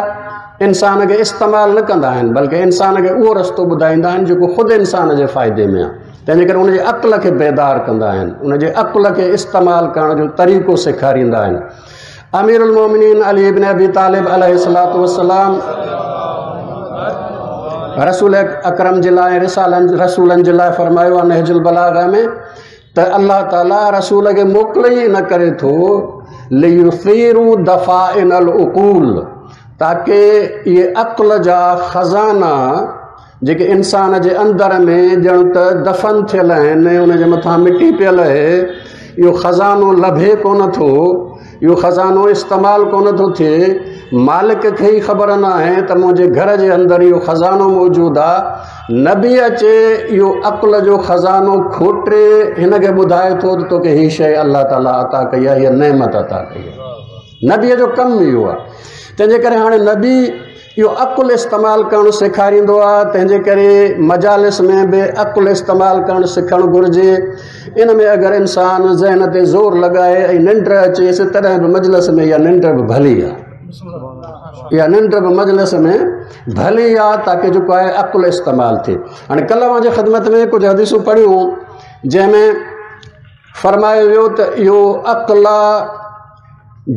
انسان کي استعمال نه ڪندا آهن، بلڪه انسان کي اهو رستو ٻڌائيندا آهن جيڪو خود انسان جي فائدي ۾ آهي. تنهن جي ڪري ان جي عقل کي بيدار ڪندا آهن، ان جي عقل کي استعمال ڪرڻ جو طريقو سيکاريندا آهن. امير المومنين علي بن ابي طالب عليه الصلوة والسلام رسول اڪرم جي لاءِ رسالن رسولن جي لاءِ فرمايو آهي نهج البلاغه ۾ ته الله تعاليٰ رسول کي موڪلي ئي ان ڪري ٿو ليثيروا دفائن العقول، تاڪه اهي عقل جا خزانا جيڪي انسان جي اندر ۾ ڄڻ ته دفن ٿيل آهن، ان جي مٿان مٽي پيل آهي، اهو خزانو لڀي ڪونه ٿو، اهو خزانو استعمال ڪونه ٿو ٿئي، مالڪ کي ئي خبر نه آهي ته منهنجي گهر جي اندر اهو خزانو موجود آهي. نبي اچي اهو عقل جو خزانو کوٽي هن کي ٻڌائي ٿو ته توکي هيءَ شيءِ الله تعاليٰ عطا ڪئي آهي، هيءَ نعمت عطا ڪئي آهي. نبيءَ جو ڪم اهو آهي. تنهن جي ڪري هاڻي نبي اهو عقل استعمال ڪرڻ سيکاريندو آهي. تنهن جي ڪري مجالس ۾ به عقل استعمال ڪرڻ سکڻ گهرجي. ان ۾ اگر انسان ذهن تي زور لڳائي ۽ ننڊ اچيس تڏهن به مجلس ۾ اها ننڊ به ڀلي آهي. اها ننڊ به مجلس ۾ ڀلي آهي تاڪه جيڪو آهي عقل استعمال ٿئي. هاڻي ڪلهه منهنجي خدمت ۾ ڪجهه حديثون پڙهيون جنهن ۾ فرمايو ويو ته اهو عقل آهي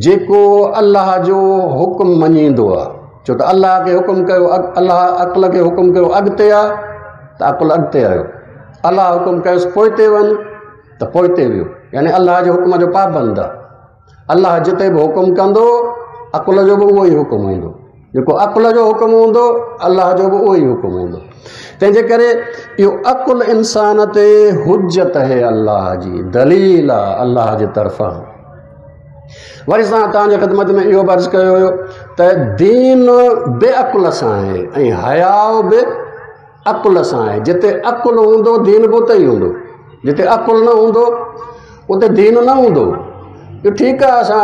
جيڪو الله جو حڪم مڃيندو آهي. ڇو ته الله کي حڪم ڪيو، الله عقل کي حڪم ڪيو اڳتي آ ته عقل اڳتي آيو، الله حڪم ڪيوس پوئتي وڃ ته پوئتي ويو. يعني الله جي حڪم جو پابند آهي. الله جتي به حڪم ڪندو عقل جو به اهو ئي حڪم هوندو، جيڪو عقل جو حڪم هوندو الله جو به اهو ئي حڪم هوندو. تنهنجي ڪري اهو عقل انسان تي حجت آهي، الله جي دليل آهي الله جي طرفان. وري سان توهان جي خدمت ۾ اهو به عرض ڪيو ويو ته دين به عقل سان آهي ۽ حياءُ به عقل سان آهي. جتي عقل هوندو دين به اتي ئي هوندو، جتي عقل نه هوندو اتي دين نه هوندو. اهو ٺيڪ آهي اسان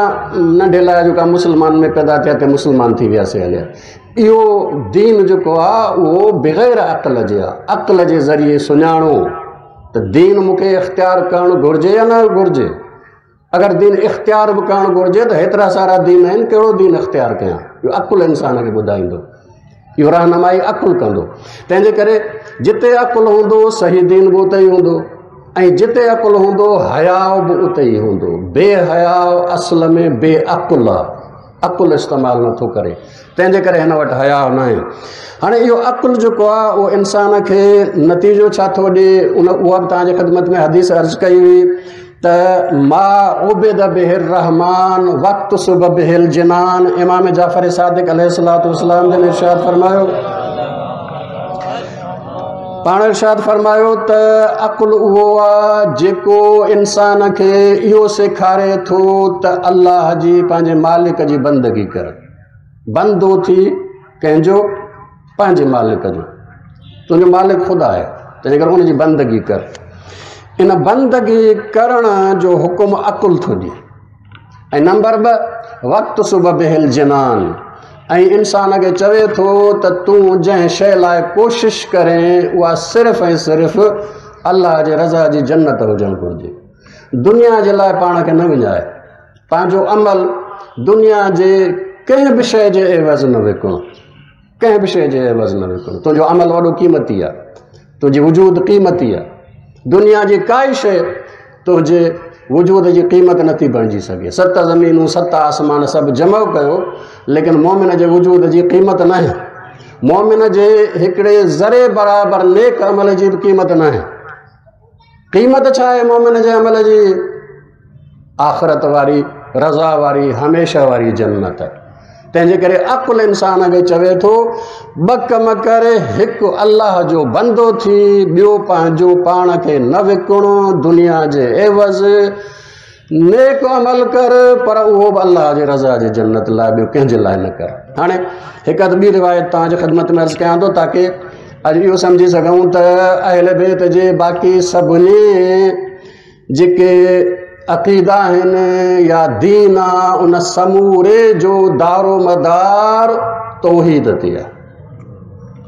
ننڍي لاءِ جيڪا مسلمان ۾ پيدا ٿيا ته مسلمان ٿي وياسين هليا. اهو دين جيڪو آهي اهو بغير عقل جي آهي. عقل جي ذريعي سڃاڻو ته دين مون کي اختيار ڪرڻ گهرجي يا نه گهرجي. اگر دين اختيار به ڪرڻ گهرجي ته هيترا سارا دين آهن، ڪهڙو دين اختيار ڪيان؟ اهو عقل انسان کي ٻڌائيندو، اهو رهنمائي عقل ڪندو. تنهنجي ڪري جتي عقل هوندو صحيح دين به اتي ئي هوندو، ۽ جتي عقل هوندو حياءُ به اتي ئي هوندو. بي حياءُ اصل ۾ بي عقل آهي، عقل استعمال نٿو ڪري، تنهنجي ڪري هن وٽ حياءُ نه آهي. هاڻي اهو عقل جيڪو آهي اهو انسان کي نتيجو ڇا ٿو ڏئي، ان اها به توهان جي خدمت ۾ حديث عرض ڪئي هئي ته ما عبد به الرحمن وقت صب به الجنان. امام جعفر صادق عليه الصلوة والسلام جن ارشاد فرمايو، پاڻ ارشاد فرمايو ته عقل اهو آهي جيڪو انسان کي اهو سيکاري ٿو ته الله جي پنهنجي مالڪ جي بندگي ڪر. بندو ٿي ڪنهن جو؟ پنهنجي مالڪ جو. تنهنجو مالڪ خدا آهي، تنهنجي ڪري ان جي بندگي ڪر. ان بندگي ڪرڻ جو حڪم عقل ٿو ڏئي. ۽ نمبر ٻه وقت صب به الجنان، ۽ انسان کي چوي ٿو ته تون جنهن شيءِ لاءِ ڪوشش ڪرين اها صرف ۽ صرف الله جي رضا جي جنت هجڻ گهرجي. دنيا جي لاءِ پاڻ کي نه وڃائي، پنهنجو عمل دنيا جي ڪنهن به شيءِ جي عيوض نه وڪڻو، ڪنهن به شيءِ جي عيوض نه وڪڻو. تنهنجو عمل وڏو قيمتي آهي، تنهنجي وجود قيمتي آهي. دنيا جي ڪائي شيءِ تنهنجي وجود جي قيمت نٿي بڻجي سگهي. ست زمينون ست آسمان سڀ جمع ڪيو، ليڪن مومن جي وجود جي قيمت نه آهي. مومن جي هڪڙي ذري برابر نيڪ عمل جي به قيمت نه آهي. قيمت ڇا آهي مومن جي عمل جي؟ آخرت واري، رضا واري، هميشه واري جنت. تنهنجي ڪري عقل انسان کي چوي ٿو ٻه ڪم ڪر، هڪ الله جو بندو ٿي، ٻيو پنهنجو پاڻ کي نه وڪڻو دنيا جي عيوض. نيڪ عمل ڪر پر اهو به الله جي رضا جي جنت لاءِ، ٻيو ڪنهن جي لاءِ نه ڪر. هاڻي هڪ اڌ ٻي روايت توهان جي خدمت ۾ عرض ڪيان ٿو تاڪه اڄ اهو سمجهي سگهون ته اهل بيت جي باقي سڀني جيڪي عقيدا آهن يا دين آهي ان سموري جو دارو مدار توحيد تي آهي.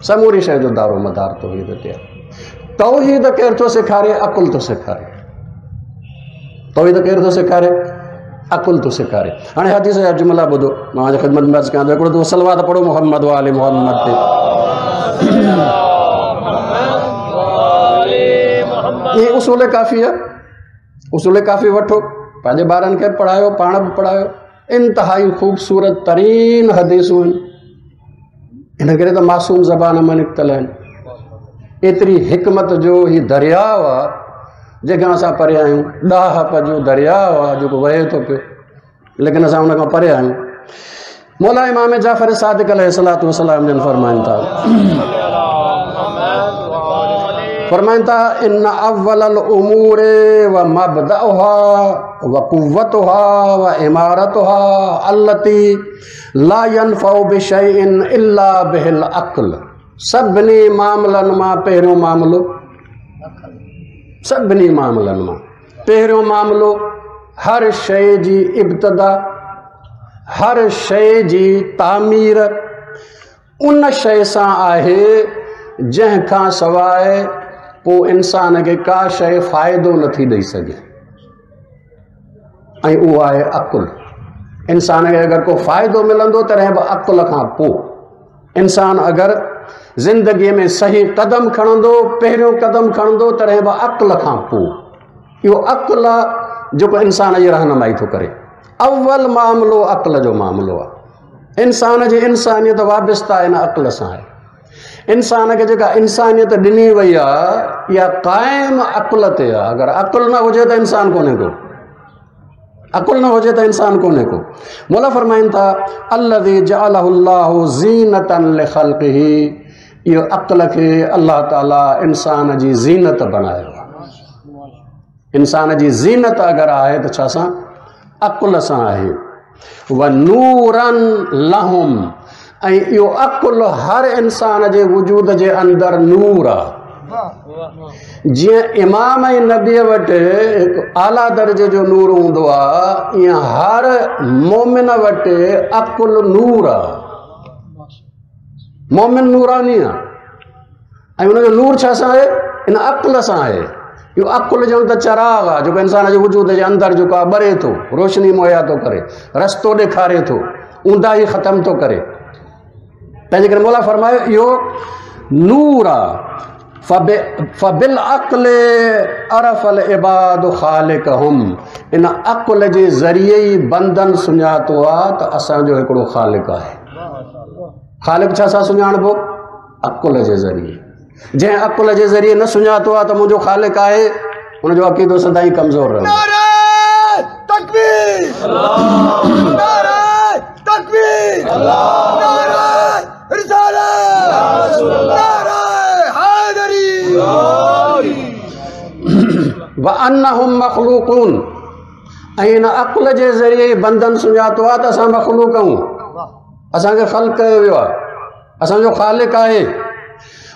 سموري شيءِ جو دارو مدار توحيد تي آهي. توحيد ڪير ٿو سيکاري؟ عقل ٿو سيکاري. توحيد ڪير ٿو سيکاري؟ عقل ٿو سيکاري. هاڻي حديث جا جملا ٻڌو، مان منهنجي خدمت ۾ عرض ڪيان ٿو. هڪڙو دفعو صلوات پڙهو محمد وآل محمد تي. اهي اصول ڪافي آهي، اصول ڪافي وٺو، پنهنجي ٻارن کي به پڙهايو، پاڻ به پڙهايو. انتهائي خوبصورت ترين حديثون آهن، ان ڪري ته معصوم زبان مان نڪتل آهن. ايتري حڪمت جو هيءُ درياءُ آهي جنهن کان اسان پري آهيون. ڏاهپ جو درياءُ آهي جيڪو وهي ٿو پيو، ليڪن اسان هن کان پري آهيون. مولا امام جعفر صادق عليه الصلوة والسلام جن فرمائن ٿا، فرمائن ٿا ان اول الامور و مبدأها و قوتها و عمارتها التي لا ينفع بشيء الا به العقل. سڀني معاملن مان پهريون معاملو، سڀني معاملن مان پهريون معاملو هر شيءِ جي ابتدا، هر شيءِ جي تعمير ان شيءِ سان آهي جنهن کان سواءِ پوءِ انسان کي ڪا شيءِ فائدو نٿي ڏيئي سگهي، ۽ اهو آهي عقل. इंसान खे अगरि को फ़ाइदो मिलंदो तॾहिं बि अक़्ल खां पोइ। इंसान अगरि ज़िंदगीअ में सही कदम खणंदो, पहिरियों कदम खणंदो तॾहिं बि अक़्ल खां पोइ। इहो अक़्ल आहे जेको इंसान जी रहनुमाई थो करे। अव्वल मामिलो अक़्ल जो मामिलो आहे। इंसान जी इंसानियत वाबस्ता इन अक़्ल सां आहे। इंसान खे जेका इंसानियत ॾिनी वई आहे इहा क़ाइमु अक़्ल ते आहे। अगरि अक़्ल न हुजे त इंसान कोन्हे को, अक़्ल न हुजे त इंसान कोन्हे को। मौला फरमाइनि था अल्लज़ी जअलहुल्लाहु ज़ीनतन लिख़ल्क़िही, इहो अक़्ल खे अल्लाह ताला इंसान जी ज़ीनत बणायो आहे। इंसान जी ज़ीनत अगरि आहे त छा सां? अक़्ल सां आहे। व नूरन लहुम, ऐं इहो अक़्ल हर इंसान जे वजूद जे अंदरि नूर आहे। जीअं इमाम ऐं नबीअ वटि हिकु आला दर्जे जो नूर हूंदो आहे, ईअं हर मोमिन वटि अक़्ल नूर आहे। मोमिन नूरानी आहे ऐं हुनजो नूर छा सां आहे? इन अक़्ल सां आहे। इहो अक़्ल ॼण त चिराग आहे जेको इंसान जे वजूद जे अंदरि जेको आहे ॿरे थो, रोशनी मुहैया थो करे, रस्तो ॾेखारे थो, ऊंदाही ख़तमु थो करे। तंहिंजे करे मौला फरमायो इहो नूर आहे। फबिल अक़्ल अरफ़ल इबाद ख़ालिक़हुम, इन अक़्ल जे ज़रिए ई बंदन सुञातो आहे त असांजो हिकिड़ो ख़ालिक़ आहे। ख़ालिक़ छा सां सुञाणबो? अक़्ल जे ज़रिए। जंहिं अक़्ल जे ज़रिए न सुञातो आहे त मुंहिंजो ख़ालिक़ आहे, हुनजो अक़ीदो सदाईं कमज़ोर रहंदो। नारे तकबीर, नारे तकबीर, नारे रिसालत, नारे हैदरी। व अन्नहुम मख़लूक़ून, ऐं इन अक़्ल जे ज़रिए बंदन सुञातो आहे त असां मख़लूक़ आहियूं, असांखे ख़ल्क़ कयो वियो आहे, असांजो ख़ालिक़ आहे।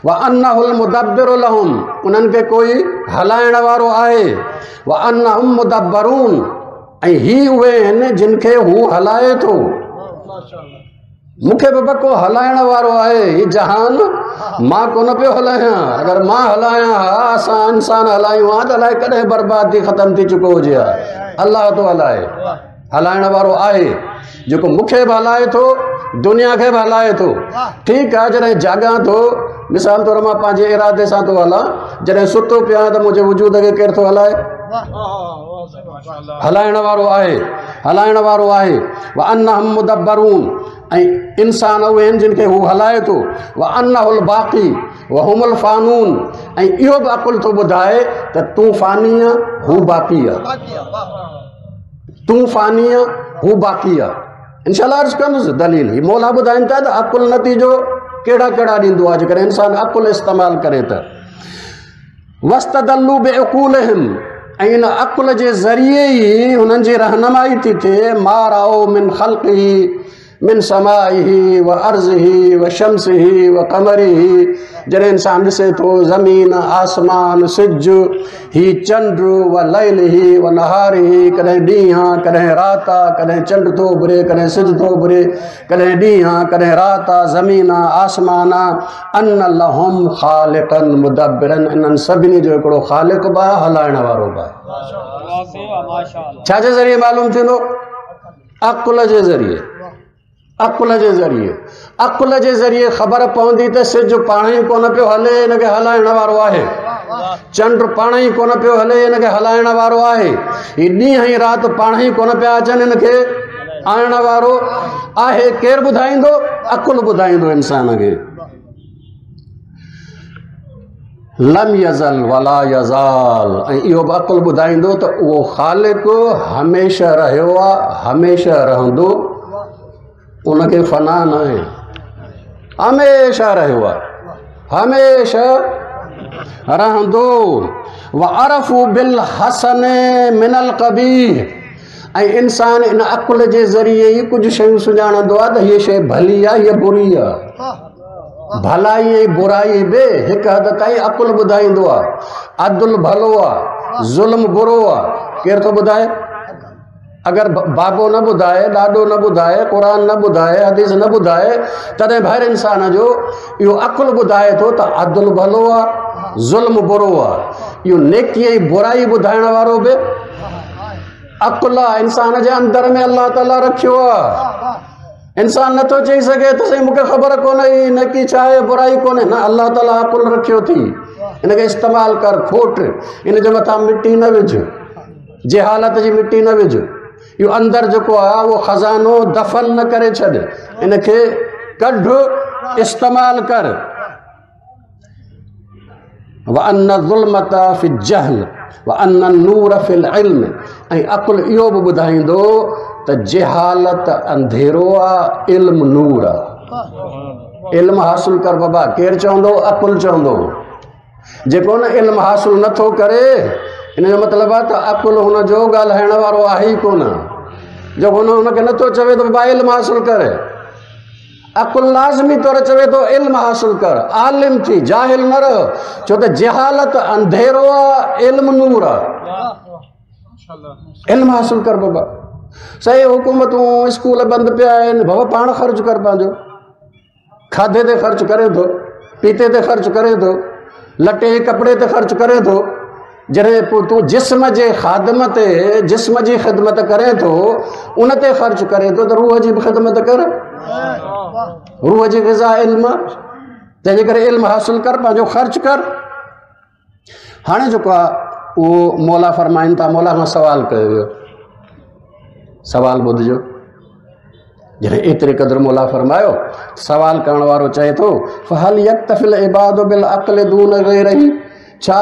व अन्नहुल मुदब्बिर लहुम, उन्हनि खे कोई हलाइण वारो आहे। व अन्नहुम मुदब्बरून, ऐं ही उहे आहिनि जिन खे हू हलाए थो। मूंखे बि को हलाइण वारो आहे, हीउ जहान मां कोन पियो हलायां। अगरि मां हलायां हा, असां इंसान हलायूं हा त अलाए कॾहिं बर्बाद थी ख़तमु थी चुको हुजे हा। अलाह थो हलाए, हलाइण वारो आहे जेको मूंखे बि हलाए थो, दुनिया खे बि हलाए थो। ठीकु आहे, जॾहिं जाॻां थो, मिसाल तौरु मां पंहिंजे इरादे सां थो हलां, जॾहिं सुतो पियो आहियां त मुंहिंजे वजूद खे केरु थो हलाए? हलाइण वारो आहे, हलाइण वारो आहे। व अन्नहुम मुदब्बरून, ऐं इंसान उहे आहिनि जिन खे हू हलाए थो। व अन्नहुल बाक़ी व हुमुल फ़ानून, ऐं इहो बि अक़ुल थो ॿुधाए त तूं फ़ानी आहे, हू बाक़ी आहे। तूं फ़ानी आहे, हू बाक़ी आहे। इंशाअल्लाह अर्ज़ु कंदुसि दलील। हीअ मौला ॿुधाइनि था त अक़ुल नतीजो कहिड़ा कहिड़ा ॾींदो आहे जेकॾहिं इंसान अक़ुल इस्तेमालु करे त। वस्तदल्लू बिउक़ूलिहिम, ऐं इन अक़ुल जे ज़रिए ई हुननि जी रहनुमाई थी थिए। मा राओ मिन ख़ल्क़िही मिन समाइही व अर्ज़िही व शम्सिही व क़मरिही, जॾहिं इंसान ॾिसे थो ज़मीन, आसमान, सिज, ही चंड, व लैलिही व नहारिही, कॾहिं ॾींहुं आहे, कॾहिं राति आहे, कॾहिं चंड थो उभरे, कॾहिं सिज थो उभरे, कॾहिं ॾींहुं आहे, कॾहिं राति आहे, ज़मीन आहे, आसमान आहे। अन लहुम ख़ालिक़न मुदब्बिरन, इन्हनि सभिनी जो हिकिड़ो ख़ालिक़ बि आहे, हलाइण वारो बि आहे। छाजे ज़रिए मालूम थींदो? अक़ुल जे ज़रिए, अक़ुल जे ज़रिए। अक़ुल जे ज़रिए ख़बर पवंदी त सिज पाण ई कोन पियो हले, हिनखे हलाइण वारो आहे। चंड पाण ई कोन पियो हले, हिनखे हलाइण वारो आहे। हीअ ॾींहुं ऐं राति पाण ई कोन पिया अचनि, हिनखे आणण वारो आहे। केरु ॿुधाईंदो? अक़ुल ॿुधाईंदो इंसान खे। लम यज़ल वला यज़ाल, ऐं इहो बि अक़ुल ॿुधाईंदो त उहो ख़ालिक़ हमेशह रहियो आहे, हमेशह रहंदो, उनखे फना न आहे, हमेशह रहियो आहे, हमेशह रहंदो। व अरफ़ू बिल हसन मिनल क़बीह, ऐं इंसान इन अक़ुल जे ज़रिए ई कुझु शयूं सुञाणंदो आहे त हीअ शइ भली आहे, हीअ बुरी आहे। भलाई ऐं बुराई बि हिकु हद ताईं अक़ुल ॿुधाईंदो आहे। अदुल भलो आहे, ज़ुल्म बुरो आहे, केरु थो ॿुधाए? अगरि बाबो न ॿुधाए, ॾाॾो न ॿुधाए, क़ुर न ॿुधाए, हदीस न ॿुधाए, तॾहिं हर इंसान जो इहो अक़ुल ॿुधाए थो त अदुल भलो आहे, ज़ुल्म बुरो आहे। इहो नेकी ऐं बुराई ॿुधाइण वारो बि अक़ुल आहे इंसान जे अंदरि में अलाह ताला रखियो आहे। इंसान नथो चई सघे त साईं मूंखे ख़बर कोन्हे नेकी छा आहे बुराई कोन्हे, न, अलाह ताला अक़ुल रखियो थी, इनखे इस्तेमालु कर, खोट, इन जे मथां मिटी न विझ, जहालत जी मिटी न विझ। इहो अंदरि जेको आहे उहो ख़ज़ानो दफ़न न करे छॾ, इनखे कढ, इस्तेमालु कर। व अन ज़ुल्मत फ़ी जहल व अन नूर फ़िल इल्म। ऐं अक़ुल इहो बि ॿुधाईंदो त जहालत अंधेरो आहे, इल्म नूर आहे। इल्म हासिल कर बाबा, केरु चवंदो? अक़ुल चवंदो। जेको न इल्म हासिल नथो करे, इन जो मतिलबु आहे त अक़ुल हुनजो ॻाल्हाइण वारो आहे ई कोन। जो हुन हुनखे नथो चवे त बाबा इल्म हासिल करे, अक़ुल लाज़मी तौर चवे थो इल्म हासिल कर, आलिम थी, जाहिल न रह, छो त जहालत अंधेरो आहे, इल्म नूर आहे। इल्म हासिल कर बाबा। सही हुकूमतूं स्कूल बंदि पिया आहिनि, बाबा पाण ख़र्चु कर, पंहिंजो खाधे ते ख़र्चु करे थो, पीते ते ख़र्चु करे थो, लटे कपिड़े ते ख़र्चु करे थो। जॾहिं पोइ तूं जिस्म जे ख़ादम ते, जिस्म जी ख़िदमत करे थो, उन ते ख़र्चु करे थो, त रूह जी बि ख़िदमत कर। रूह जी ग़िज़ा इल्म, तंहिंजे करे इल्म हासिल कर, पंहिंजो ख़र्चु कर। हाणे जेको आहे उहो मौला फरमाइनि था, मौला खां सवाल कयो वियो, सवाल ॿुधजो। जॾहिं एतिरे क़दुरु मौला फरमायो, सवाल करण वारो चए थो फहल यक्तफिल इबाद बिल अक़ल दून ग़ैरिही, छा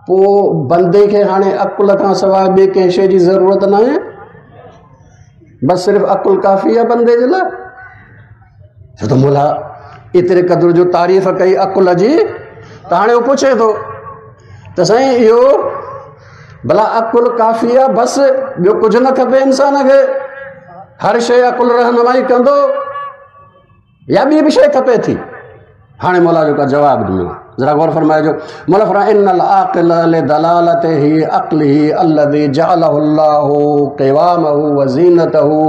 पोइ बंदे खे हाणे अक़ुल खां सवाइ ॿिए कंहिं शइ जी ज़रूरत न आहे? बसि सिर्फ़ु अक़ुल काफ़ी आहे बंदे जे लाइ? छो त मौला एतिरे क़दुरु जो तारीफ़ कई अक़ुल जी, त हाणे उहो पुछे थो त साईं इहो भला अक़ुल काफ़ी आहे, बसि ॿियो कुझु न खपे इंसान खे, हर शइ अक़ुल रहनुमाई कंदो या ॿी बि शइ खपे थी? हाणे मौला जेको जवाबु ॾिनो, ज़रा गौर फरमाइजो। मौला फरमाए इन्नल आक़िल लिदलालतिही अक़लिही अल्लज़ी जअलहु अल्लाहु क़िवामहु व ज़ीनतहु।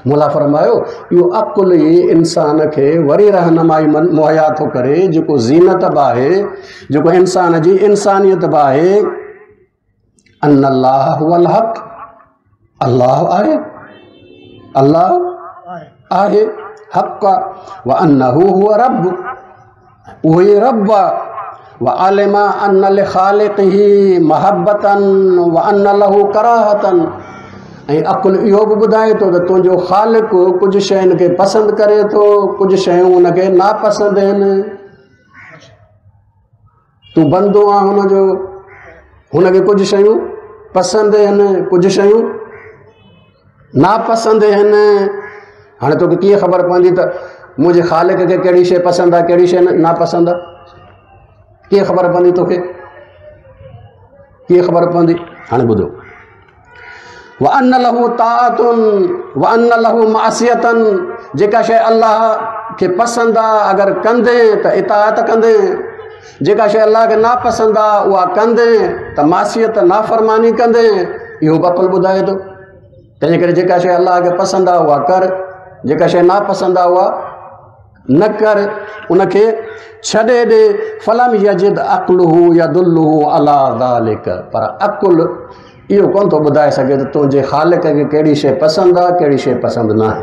मौला फरमायो इहो अक़ुल ई इंसान खे वरी रहनुमाई मुहैया थो करे, जेको ज़ीनत बि आहे, जेको इंसान जी इंसानियत बि आहे। अन्नल्लाह हुवल हक़, अल्लाह आहे, अल्लाह आहे, हक़ आहे। व अन्नहु हुव रब्ब, उहो ई रब आहे। व आलिमा अन्न लिखालिक़िही महब्बतन व अन्न लहू कराहतन। ऐं अक़ुल इहो बि ॿुधाए थो त तुंहिंजो ख़ालिक़ कुझु शयुनि खे पसंदि करे थो, कुझु शयूं हुनखे नापसंदि आहिनि। तूं बंदो आहीं हुनजो, हुनखे कुझु शयूं पसंदि आहिनि, कुझु शयूं नापसंदि आहिनि। हाणे तोखे कीअं ख़बर पवंदी त मुंहिंजे ख़ालिक़ खे कहिड़ी शइ पसंदि आहे, कहिड़ी शइ नापसंदि आहे? कीअं ख़बर पवंदी तोखे? कीअं ख़बर पवंदी? हाणे ॿुधो, व अन्न लहू ताअतुन व अन्न लहू मासियतन। जेका शइ अलाह खे पसंदि आहे अगरि कंदे त इताअत कंदे, जेका शइ अलाह खे नापसंदि आहे उहा कंदे त मासियत नाफ़रमानी कंदे। इहो बि अक़ुल ॿुधाए थो। तंहिंजे करे जेका शइ अलाह खे पसंदि आहे उहा कर, जेका शइ नापसंदि आहे उहा न कर, उनखे छॾे ॾे। फलम यजिद अक़लुहु यदुल्लुहु अला ज़ालिक। पर अक़ुल इहो कोन थो ॿुधाए सघे त तुंहिंजे ख़ालिक़ खे कहिड़ी शइ पसंदि आहे, कहिड़ी शइ पसंदि न आहे।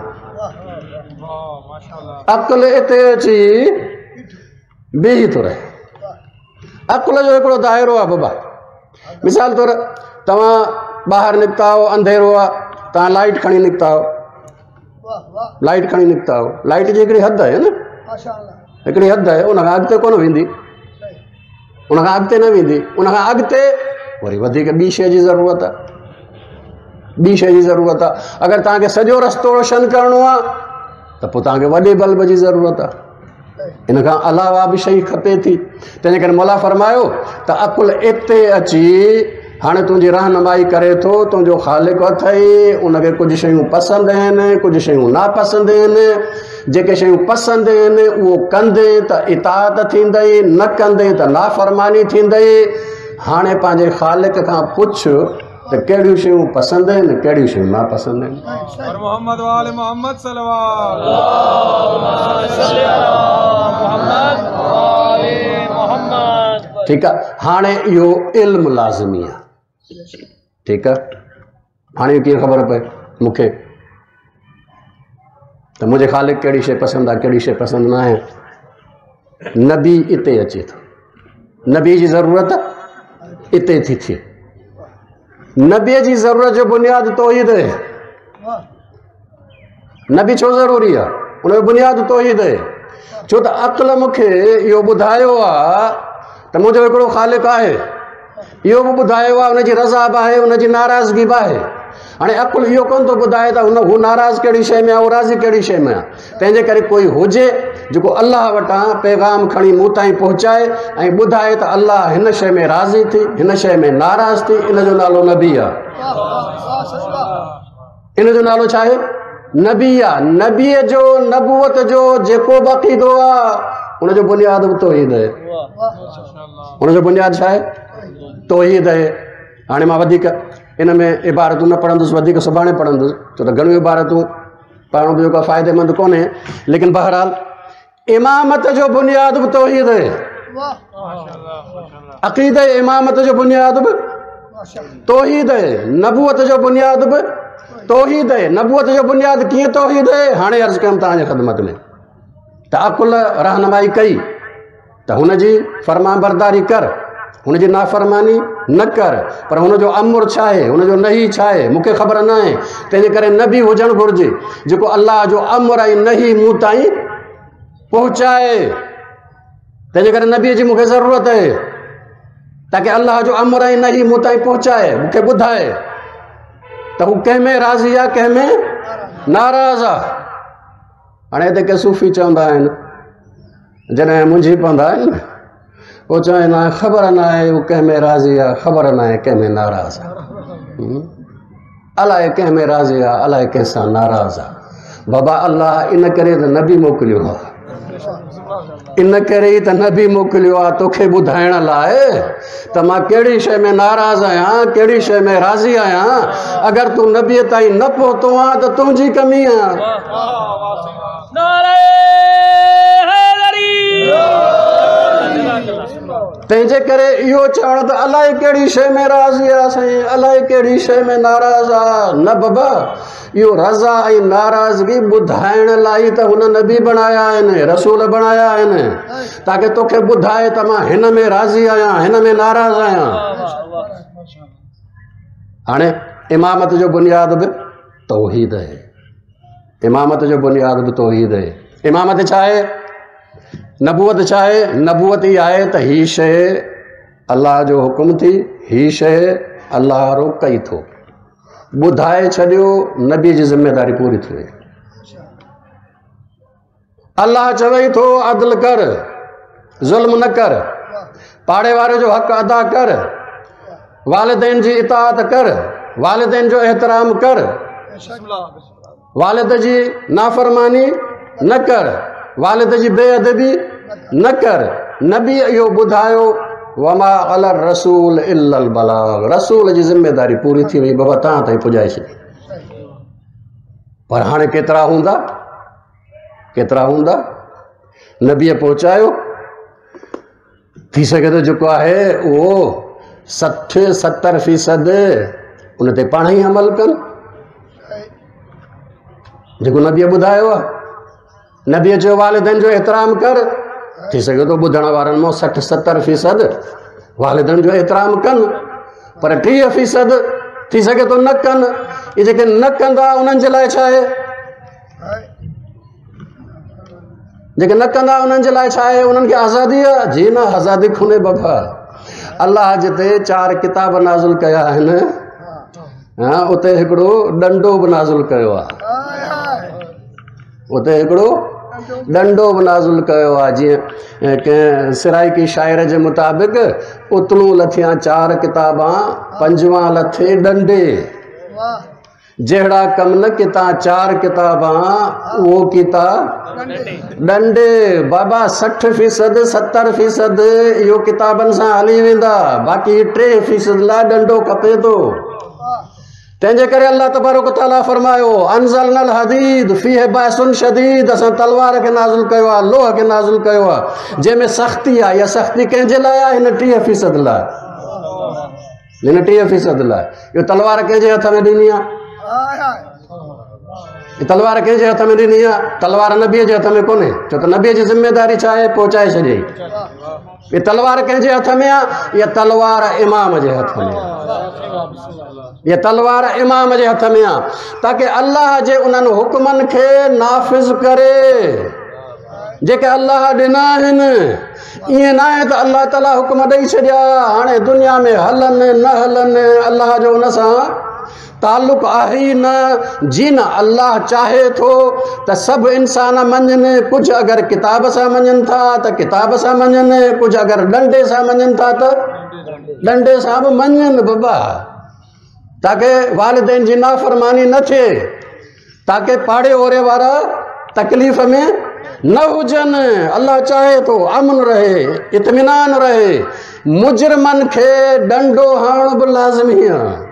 अक़ुल हिते अची बीही थो रहे। अक़ुल जो हिकिड़ो दायरो आहे बाबा। मिसाल तौरु तव्हां ॿाहिरि निकिता आहियो, अंधेरो आहे, तव्हां लाइट खणी निकिता आहियो, लाइट खणी निकिता आहियो, लाइट जी हिकिड़ी हद आहे न, हिकिड़ी हद आहे, उन खां अॻिते कोन वेंदी, उन खां अॻिते न वेंदी, उन खां अॻिते वरी वधीक ॿी शइ जी ज़रूरत आहे, ॿी शइ जी ज़रूरत आहे। अगरि तव्हांखे सॼो रस्तो रोशन करिणो आहे त पोइ तव्हांखे वॾे बल्ब जी ज़रूरत आहे, इन खां अलावा बि शइ खपे थी। तंहिंजे करे मौला फरमायो त अक़ुल हिते अची हाणे तुंहिंजी रहनुमाई करे थो, तुंहिंजो ख़ालिक़ अथई, उनखे कुझु शयूं पसंदि आहिनि, कुझु शयूं नापसंदि आहिनि। जेके शयूं पसंदि आहिनि उहो कंदे त इताअत थींदई, न कंदे त नाफ़रमानी थींदई। हाणे पंहिंजे ख़ालिक़ खां पुछ त कहिड़ियूं शयूं पसंदि आहिनि, कहिड़ियूं शयूं नापसंदि आहिनि। मोहम्मद वाले मोहम्मद ठीकु आहे। हाणे इहो इल्मु लाज़मी आहे, ठीकु आहे। हाणे कीअं ख़बर पए मूंखे त मुंहिंजे ख़ालिक कहिड़ी शइ पसंदि आहे, कहिड़ी शइ पसंदि न आहे? नबी इते अचे थो, नबी जी ज़रूरत इते थी थिए। नबीअ जी ज़रूरत जो बुनियादु तौहीद आहे। नबी छो ज़रूरी आहे? उनजो बुनियादु तौहीद आहे। छो त अक़ल मूंखे इहो ॿुधायो आहे त मुंहिंजो हिकिड़ो ख़ालिक आहे, इहो बि ॿुधायो आहे उनजी रज़ा बि आहे, उनजी नाराज़गी बि आहे। हाणे अक़ुलु इहो कोन थो ॿुधाए त हुन हू नाराज़ कहिड़ी शइ में आहे, हू राज़ी कहिड़ी शइ में आहे। तंहिंजे करे कोई हुजे जेको अलाह वटां पैगाम खणी मूं ताईं पहुचाए ऐं ॿुधाए त अलाह हिन शइ में राज़ी थी, हिन शइ में नाराज़ थी, इन जो नालो नबी आहे। इन जो नालो छा आहे? नबी आहे। नबीअ जो नबूवत जो जेको बि अक़ीदो आहे उनजो बुनियादु बि तौहीद आहे। उनजो बुनियादु छा आहे? तौहीद आहे। हाणे मां वधीक इन में इबारतूं न पढ़ंदुसि, वधीक सुभाणे पढ़ंदुसि, छो त घणियूं इबारतूं पढ़णु बि जेको फ़ाइदेमंद कोन्हे। लेकिन बहरहाल इमामत जो बुनियादु बि तौहीद आहे। अक़ीद इमामत जो बुनियादु बि तौहीद आहे। नबूवत जो बुनियादु बि तौहीद आहे। नबूवत जो बुनियादु कीअं तौहीद आहे? हाणे अर्ज़ु कयमि तव्हांजे ख़िदमत में त अक़ुल रहनुमाई कई त हुनजी फरमाबरदारी कर, हुनजी नाफ़रमानी न कर, पर हुनजो अमुर छा आहे, हुनजो नही छा आहे मूंखे ख़बर न आहे। तंहिंजे करे नबी हुजणु घुरिजे जेको अलाह जो अमुर ऐं नही मूं ताईं पहुचाए। तंहिंजे करे नबीअ जी मूंखे ज़रूरत आहे ताकि अलाह जो अमुर ऐं नही मूं ताईं पहुचाए, मूंखे ॿुधाए त हू कंहिं में राज़ी आहे, कंहिं में नाराज़ आहे। हाणे हिते के सूफ़ी चवंदा आहिनि, जॾहिं मुंझी पवंदा आहिनि पोइ चवंदा आहिनि ख़बर न आहे हू कंहिं में राज़ी आहे, ख़बर न आहे कंहिं में नाराज़ आहे, अलाए कंहिं में राज़ी आहे, अलाए कंहिंसां नाराज़ आहे। बाबा अलाह इन करे त नबी मोकिलियो आहे, इन करे ई त नबी मोकिलियो आहे तोखे ॿुधाइण लाइ त मां कहिड़ी शइ में नाराज़ आहियां, कहिड़ी शइ में राज़ी आहियां। अगरि तूं नबीअ ताईं न पहुतो आहीं त तुंहिंजी कमी आहे। तंहिंजे करे इहो चवणु त अलाए कहिड़ी शइ में राज़ी आहे साईं, अलाए कहिड़ी शइ में नाराज़ आहे, न बाबा, इहो रज़ा ऐं नाराज़गी ॿुधाइण लाइ त हुन नबी बणाया आहिनि, रसूल बणाया आहिनि, ताकि तोखे ॿुधाए त मां हिन में राज़ी आहियां, हिन में नाराज़ आहियां। हाणे इमामत जो बुनियादु बि तौहीद आहे। इमामत जो बुनियादु बि तौहीद आहे। इमामत छा आहे? नबूवत छा आहे? नबूवत ई आहे त हीअ शइ अलाह जो हुकुम थी, हीअ शइ अलाह रोकई थो, ॿुधाए छॾियो, नबी जी ज़िम्मेदारी पूरी थी वई। अलाह चवई थो अदल कर, ज़ुल्म न कर, पाड़े वारे जो हक़ अदा कर, वालिदैन जी इताअत कर, वालिदैन जो एहतराम कर, वालिद जी नाफ़रमानी न कर, वालिद जी बेअदबी न कर। नबी इहो ॿुधायो, वमा अला रसूल इल्लल बलाग, रसूल जी ज़िम्मेदारी पूरी थी वई, बाबा तव्हां ताईं पुॼाए छॾी। पर हाणे केतिरा हूंदा, केतिरा हूंदा नबीअ पहुचायो? थी सघे थो जेको आहे उहो सठि सतरि फ़ीसद उन ते पाण ई अमल कनि, जेको नबीअ ॿुधायो आहे। नबीअ चयो वालिदनि जो एहतराम कर, थी सघे थो ॿुधण वारनि मां सठि सतरि फ़ीसद वालिदनि जो एहतराम कनि, पर टीह फ़ीसद थी सघे थो न कनि। इहे जेके न कंदा उन्हनि जे लाइ छा आहे? जेके न कंदा उन्हनि जे लाइ छा आहे? उन्हनि खे आज़ादी आहे? जी न, आज़ादी कोन्हे बाबा। अलाह जिते चारि किताब नाज़िल कया आहिनि, हा, उते हिकिड़ो ॾंडो बि नाज़िल कयो आहे, उते हिकिड़ो ॾंडो बि नाज़िल कयो आहे। जीअं कंहिं सिराइकी शाइर जे मुताबिक़, उतलूं लथियां चारि किताबां, पंजवां लथे ॾंडे, जहिड़ा कम न किता चारि किताबां, उहो किता ॾंडे। बाबा सठि फ़ीसद सतरि फ़ीसद इहो किताबनि सां हली वेंदा, बाक़ी टे फ़ीसद लाइ ॾंडो खपे थो। तंहिंजे करे अलाह तबारक तआला फरमायो, अनज़लनल हदीद फ़ीहि बासुन शदीद, असां तलवार खे नाज़िल कयो आहे, लोह खे नाज़िल कयो आहे, जंहिंमें सख़्ती आहे। इहा सख़्ती कंहिंजे लाइ आहे? हिन टीह फ़ीसद लाइ। ॾिन टीह फ़ीसद लाइ। इहो तलवार कंहिंजे हथ में ॾिनी आहे? तलवार कंहिंजे हथ में ॾिनी आहे? तलवार नबीअ जे हथ में कोन्हे, छो त नबीअ जी ज़िम्मेदारी छा आहे? पहुचाए छॾियईं। इहा तलवार कंहिंजे हथ में आहे? इहा तलवार इमाम जे हथ में आहे। इहा तलवार इमाम जे हथ में आहे, ताकी अल्लाह जे उन्हनि हुक्मनि खे नाफ़िज़ करे जेके अल्लाह ॾिना आहिनि। ईअं न आहे त अल्लाह ताला हुक्म ॾेई छॾिया, हाणे दुनिया में हलनि न हलनि, अल्लाह जो उन सां तालुक़ आहे ई न। जी न अल्लाह चाहे थो त सभु इंसान मञनि, कुझु अगरि किताब सां मञनि था त किताब सां मञनि, कुझु अगरि ॾंडे सां मञनि था त ॾंडे सां बि मञनि बाबा, ताकी वालिदैन जी नाफ़रमानी न थिए, ताकी पाड़े ओरे वारा तकलीफ़ में न हुजनि। अल्लाह चाहे थो अमन रहे, इत्मीनान रहे। मुजरिमनि खे ॾंडो हणणु बि लाज़मी आहे।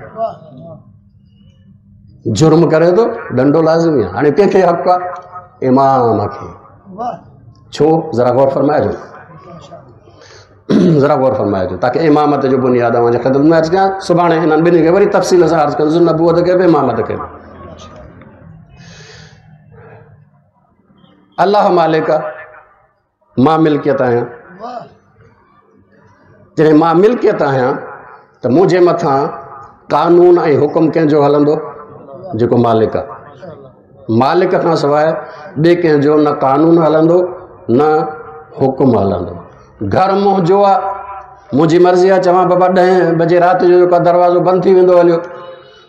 जुर्म करे थो ॾंडो लाज़मी आहे। हाणे कंहिंखे हक़ आहे? इमाम खे। छो? ज़रा गौर फरमाइजो, ज़रा गौर फरमाइजो, ताकी इमामत जो बुनियाद अव्हांजे ख़िदमत में अर्ज़ु कयां। सुभाणे इन्हनि ॿिन्ही खे वरी तफ़सील सां अर्ज़ु कंदुसि, नबूअत खे बि इमामत खे बि। अल्लाह मालिक आहे, मां मिल्कियत आहियां। जॾहिं मां मिल्कियत आहियां त मुंहिंजे मथां कानून ऐं हुकुम कंहिंजो हलंदो? जेको मालिक आहे। मालिक खां सवाइ ॿिए कंहिंजो न कानून हलंदो न हुकुम हलंदो। घर मुंहिंजो आहे, मुंहिंजी मर्ज़ी आहे, चवां बाबा ॾहें बजे राति जो जेको दरवाज़ो बंदि थी वेंदो हलियो,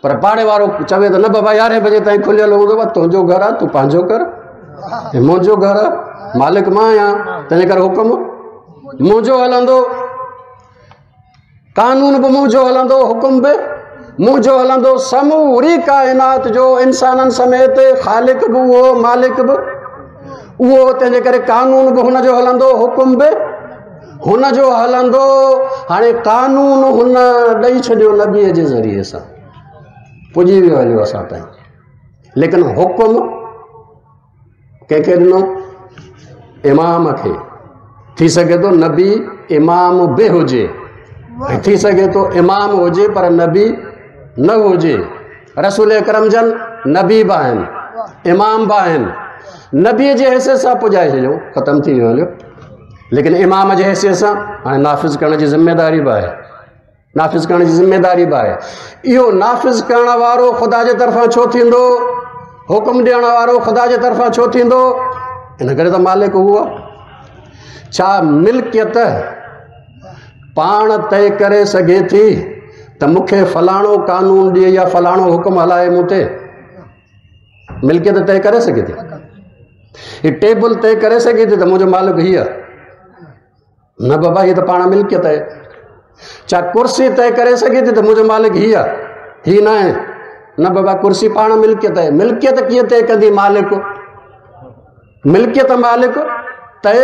पर पाड़े वारो चवे त न बाबा यारहें बजे ताईं खुलियल हूंदो, तुंहिंजो घरु आहे, तूं पंहिंजो कर, मुंहिंजो घरु आहे, मालिक मां आहियां, तंहिंजे करे हुकुम मुंहिंजो हलंदो, कानून बि मुंहिंजो हलंदो, हुकुम बि मुंहिंजो हलंदो। समूरी काइनात जो इंसाननि समेत ख़ालिक बि उहो, मालिक बि उहो, तंहिंजे करे कानून बि हुनजो हलंदो, हुकुम बि हुनजो हलंदो। हाणे कानून हुन ॾेई छॾियो नबीअ जे ज़रिए सां, पुॼी वियो हलियो असां ताईं, लेकिन हुकुम कंहिंखे ॾिनो? इमाम खे। थी सघे थो नबी इमाम बि हुजे, थी सघे थो इमाम हुजे पर नबी न हुजे। रसूल अकरम जन नबी बि आहिनि, इमाम बि आहिनि, नबीअ जे हैसियत सां पुॼाए छॾियो, ख़तमु थी वियो हलियो। लेकिन इमाम जे हैसियत सां हाणे नाफ़िज़ करण जी ज़िम्मेदारी बि आहे, नाफ़िज़ करण जी ज़िम्मेदारी बि आहे। इहो नाफ़िज़ करण वारो ख़ुदा जे तरफ़ां छो थींदो? हुकुम ॾियण वारो ख़ुदा जे तरफ़ां छो थींदो? इन करे त मालिक उहो आहे। छा मिल्कियत पाण तय करे सघे थी त मूंखे फलाणो कानून ॾिए या फलाणो हुकुम हलाए मूं ते? मिल्कियत तय करे सघे थी? हीअ टेबल तय करे सघे थी त मुंहिंजो मालिक हीअ आहे? न बाबा, हीअ त पाण मिल्कियत आहे। छा कुर्सी तय करे सघे थी त मुंहिंजो मालिक हीअ आहे? हीअ न आहे। न बाबा, कुर्सी पाण मिल्कियत आहे। मिल्कियत कीअं तय कंदी मालिक? मिल्कियत मालिक तय